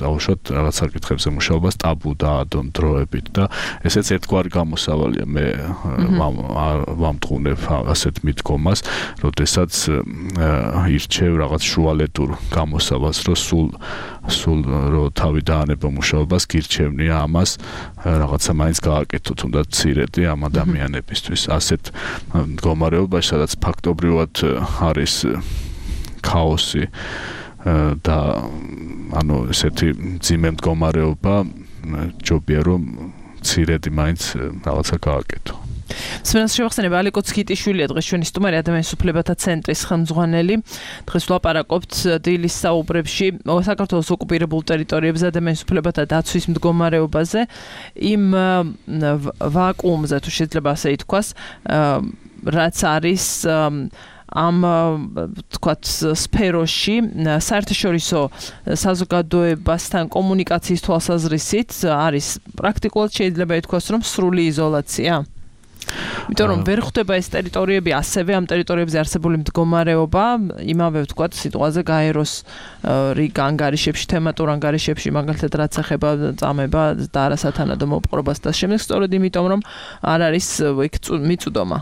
დაუშვათ, რაღაც საკითხებზე მუშაობას ტაბუ დაადონ დროებით და ესეც ერთგვარი გამოსავალია მე ვამტყუნებ ასეთ მიდგომას, როდესაც ირჩევ რაღაც შუალედურ გამოსავალს, რომ სულ რო თავი დაანება მუშაობას, გირჩევნია ამას რაღაცა მაინც გააკეთო, თუნდაც მცირედი ამ ადამიანებისთვის. ასეთ მდგომარეობაში, სადაც ფაქტობრივად არის ქაოსი და ანუ ესეთი მძიმე მდგომარეობა, ჯობია რომ მცირედი მაინც რაღაცა გააკეთო. სმენას შევახსენებ ალიკო ცქიტიშვილია დღეს ჩვენი სტუმარი ადამიანის უფლებათა ცენტრის ხელმძღვანელი. დღეს ვლაპარაკობთ დილის საუბრებში საქართველოს ოკუპირებულ ტერიტორიებზე ადამიანის უფლებათა დაცვის მდგომარეობაზე, იმ ვაკუუმზე თუ შეიძლება ასე ითქვას, რაც არის ამ თქვათ სფეროში საერთაშორისო საზოგადოებასთან კომუნიკაციის თვალსაზრისით არის პრაქტიკულად შეიძლება ითქვას რომ სრული იზოლაცია. იმიტომ რომ ვერ ხვდება ეს ტერიტორიები ასევე ამ ტერიტორიებზე არსებული მდგომარეობა იმავე ვთქვათ სიტყვაზე გაეროს რიგ ანგარიშებში თემატურ ანგარიშებში მაგალითად რაც ეხება წამება და არასათანადო მოპყრობას და შემდეგ სწორედ იმიტომ რომ არ არის იქ მიწვდომა.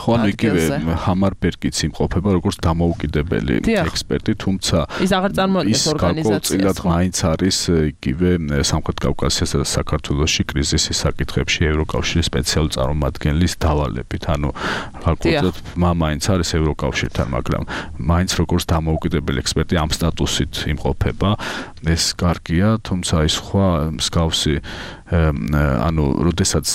ხო ანუ იგივე ჰამარბერგიც იმყოფება როგორც დამოუკიდებელი ექსპერტი, თუმცა ის აღარ წარმოადგენს ორგანიზაციას. მაინც არის იგივე სამხრეთ კავკასიასა და საქართველოში კრიზისის საკითხებში ევროკავშირის სპეციალური წარმომადგენლის დავალებით, ანუ ფაქტობრივად მაინც არის ევროკავშირთან, მაგრამ მაინც როგორც დამოუკიდებელი ექსპერტი ამ სტატუსით იმყოფება. ეს კარგია, თუმცა ის სხვა მსგავსი ანუ როდესაც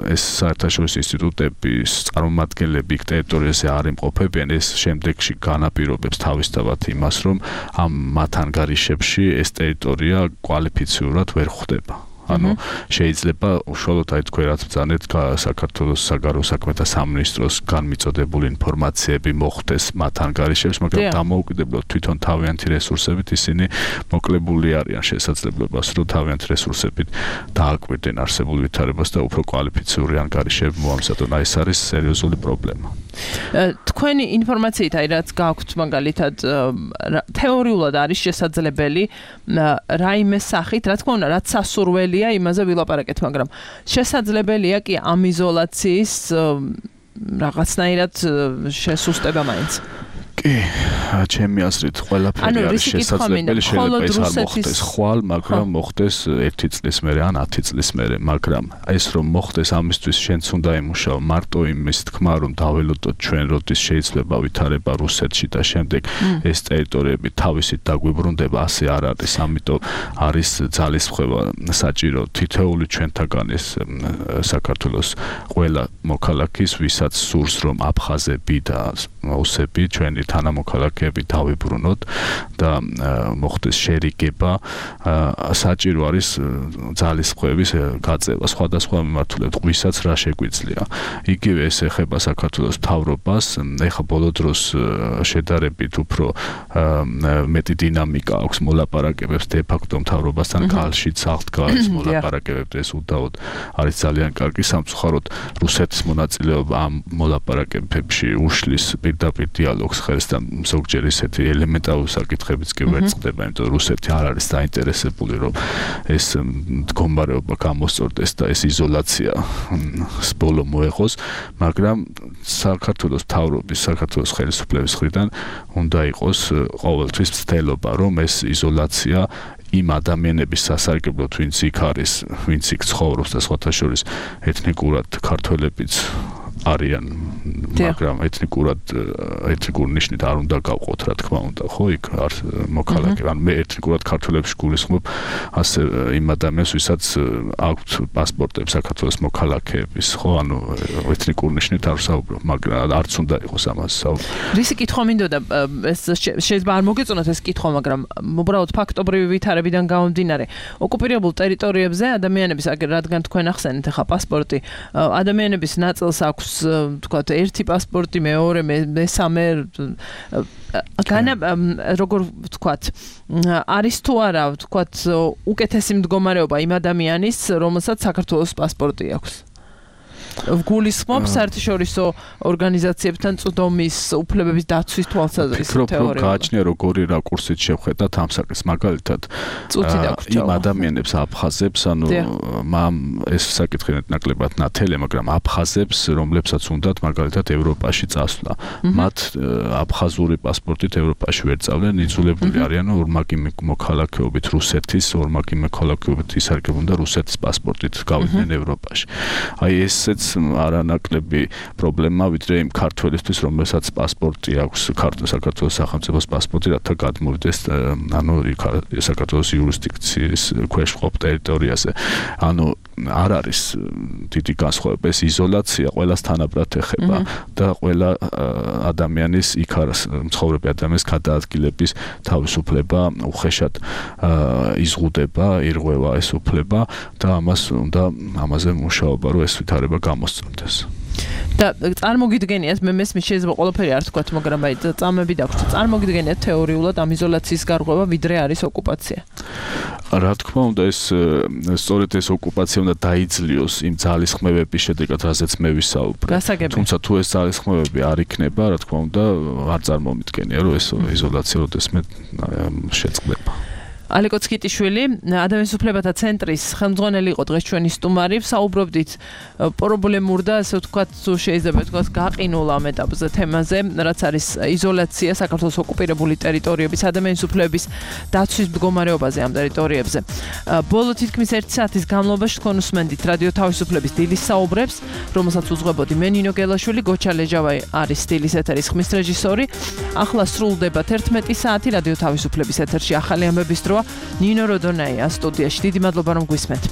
ეს საერთაშორისო ინსტიტუტების წარმომადგენლები იქ ტერიტორიაზე არ იმყოფებიან, ეს შემდეგში განაპირობებს თავისთავად იმას, რომ ამ მათ ანგარიშებში ეს ტერიტორია კვალიფიციურად ვერ ხვდება. ანუ შეიძლება უშუალოდ აი თქვენ რაც ბრძანეთ საქართველოს საგარეო საქმეთა სამინისტროს განმიწოდებული ინფორმაციები მოხვდეს მათ ანგარიშებში, მაგრამ დამოუკიდებლად თვითონ თავიანთი რესურსებით ისინი მოკლებული არიან შესაძლებლობას, რომ თავიანთი რესურსებით დააკვირდნენ არსებულ ვითარებას და უფრო კვალიფიციური ანგარიშები მოამზადონ. ეს არის სერიოზული პრობლემა. თქვენი ინფორმაციით აი რაც გაქვთ მაგალითად თეორიულად არის შესაძლებელი რაიმე სახით, რა თქმა უნდა, რაც სასურველია იმაზე ვილაპარაკეთ, მაგრამ შესაძლებელია კი ამ იზოლაციის რაღაცნაირად შესუსტება მაინც. კი, ჩემი აზრით ყველაფერი არის შესაძლებელი, შეიძლება ეს არ მოხდეს ხვალ, მაგრამ მოხდეს 1 წლის მერე ან 10 წლის მერე, მაგრამ ეს რომ მოხდეს ამისთვის შენც უნდა იმუშაო მარტო იმის თქმა რომ დაველოდოთ ჩვენ როდის შეიძლება ვითარება რუსეთში და შემდეგ ეს ტერიტორიები თავისით დაგვიბრუნდება, ასე არ არის, ამიტომ არის ძალისხმევა საჭირო თითოეული ჩვენთაგანის საქართველოს ყველა მოქალაქის, ვისაც სურს რომ აფხაზები და ოსები ჩვენი თანამოქალაქეები დავიბრუნოთ და მოხდეს შერიგება, საჭირო არის ძალისხმევის გაწევა სხვადასხვა მიმართულებით, ვისაც რა შეგვიძლია. იგივე ეს ეხება საქართველოს მთავრობას, ეხა ბოლო დროს შედარებით უფრო მეტი დინამიკა აქვს მოლაპარაკებებს დე ფაქტო მთავრობასთან კავშირით საღდგარის მოლაპარაკებებს, ეს უდაოდ არის ძალიან კარგი, სამწუხაროდ რუსეთის მონაწილეობა ამ მოლაპარაკებებში უშლის პირდაპირ დიალოგს ხელს და ზოგჯერ ისეთი ელემენტარული საკითხებიც კი ვერ წყდება, იმიტომ რომ რუსეთი არ არის დაინტერესებული რომ ეს მდგომარეობა გამოსწორდეს და ეს იზოლაცია ბოლო მოეღოს, მაგრამ საქართველოს მთავრობის, საქართველოს ხელისუფლების მხრიდან უნდა იყოს ყოველთვის ცდელობა, რომ ეს იზოლაცია იმ ადამიანების სასარგებლოდ, ვინც იქ არის, ვინც იქ ცხოვრობს და სხვათა შორის ეთნიკურად ქართველებიც არიან, მაგრამ ეთნიკური ნიშნით არ უნდა გავყოთ, რა თქმა უნდა, ხო, იქ არ მოქალაქეები, ან მე ეთნიკურად ქართველებს გულისხმობ, ასე იმ ადამიანებს, ვისაც აქვთ პასპორტები საქართველოს მოქალაქეების, ხო, ანუ ეთნიკური ნიშნით არ ვსაუბრობ, მაგრამ არც უნდა იყოს ამას საუბარი. რისი კითხვა მინდოდა, ეს შეიძლება არ მოგეწონათ ეს კითხვა, მაგრამ უბრალოდ ფაქტობრივი ვითარებიდან გამომდინარე, ოკუპირებულ ტერიტორიებზე ადამიანების, რადგან თქვენ ახსენეთ ახლა პასპორტი, ადამიანების ნაწილს აქვს თქვათ ერთი პასპორტი, მეორე, მესამე, როგორ ვთქვათ, არის თუ არა, ვთქვათ, უკეთესი მდგომარეობა იმ ადამიანის, რომელსაც საქართველოს პასპორტი აქვს. გულისხმობს საერთაშორისო ორგანიზაციებთან წვდომის უფლებების დაცვის თვალსაზრისით თეორიულად. ფიქრობ, რომ გააჩნია როგორი რაკურსით შევხედათ ამ საკითხს, მაგალითად იმ ადამიანებს აფხაზებს, ანუ ეს საკითხი ნაკლებად ნათელია, მაგრამ აფხაზებს, რომლებსაც უნდათ მაგალითად ევროპაში წასვლა, მათ აფხაზური პასპორტით ევროპაში ვერ წავდნენ, იძულებული არიან ორმაგი მოქალაქეობით რუსეთის, ორმაგი მოქალაქეობით ისარგებლონ და რუსეთის პასპორტით გავიდნენ ევროპაში. აი ესეც არანაკლები პრობლემა, ვიდრე იმ ქართველისთვის, რომელსაც პასპორტი აქვს, საქართველოს სახელმწიფოს პასპორტი, რათა გადმოვიდეს, ანუ საქართველოს იურისდიქციის ქვეშ მყოფ ტერიტორიაზე. ანუ არ არის დიდი განსხვავება, ეს იზოლაცია ყველას თანაბრად ეხება და ყველა ადამიანის იქ მცხოვრები ადამიანის გადაადგილების თავისუფლება უხეშად იზღუდება, ირღვევა ეს უფლება და ამაზე მუშაობა, რომ ეს ვითარება გამოსწორდეს. და წარმოგიდგენიათ, მე მესმის შეიძლება ყველაფერი არ თქვათ, მაგრამ აი წამები დაგვრჩა. წარმოგიდგენიათ თეორიულად ამ იზოლაციის გარღვევა ვიდრე არის ოკუპაცია. რა თქმა უნდა, სწორედ ეს ოკუპაცია უნდა დაიძლიოს იმ ძალისხმევების შედეგად, რაზეც მე ვისაუბრე. თუმცა თუ ეს ძალისხმევები არ იქნება, რა თქმა უნდა, არ წარმომიდგენია, რომ ეს იზოლაცია როდესმე შეწყდება. ალეკო ცკიტიშვილი, ადამიანის უფლებათა ცენტრის ხელმძღვანელი იყო დღეს ჩვენი სტუმარი. საუბრობდით პრობლემურ და ასე ვთქვათ, შეიძლება ვთქვათ, გაყინულ ამ ეტაპზე თემაზე, რაც არის იზოლაცია საქართველოს ოკუპირებული ტერიტორიების ადამიანის უფლებების დაცვის მდგომარეობაზე ამ ტერიტორიებზე. ბოლო თითქმის 1 საათის განმავლობაში თქვენ უსმენდით რადიო თავისუფლების დილის საუბრებს, რომელსაც უძღვებოდი მე ნინო გელაშვილი, გოჩა ლეჯავაი არის დილის ეთერის ხმის რეჟისორი. ახლა სრულდება 11 საათი რადიო თავისუფლების ეთერში ახალი ამბების დრო. ნინო როდონაია სტუდიაში. დიდი მადლობა რომ გვისმენთ.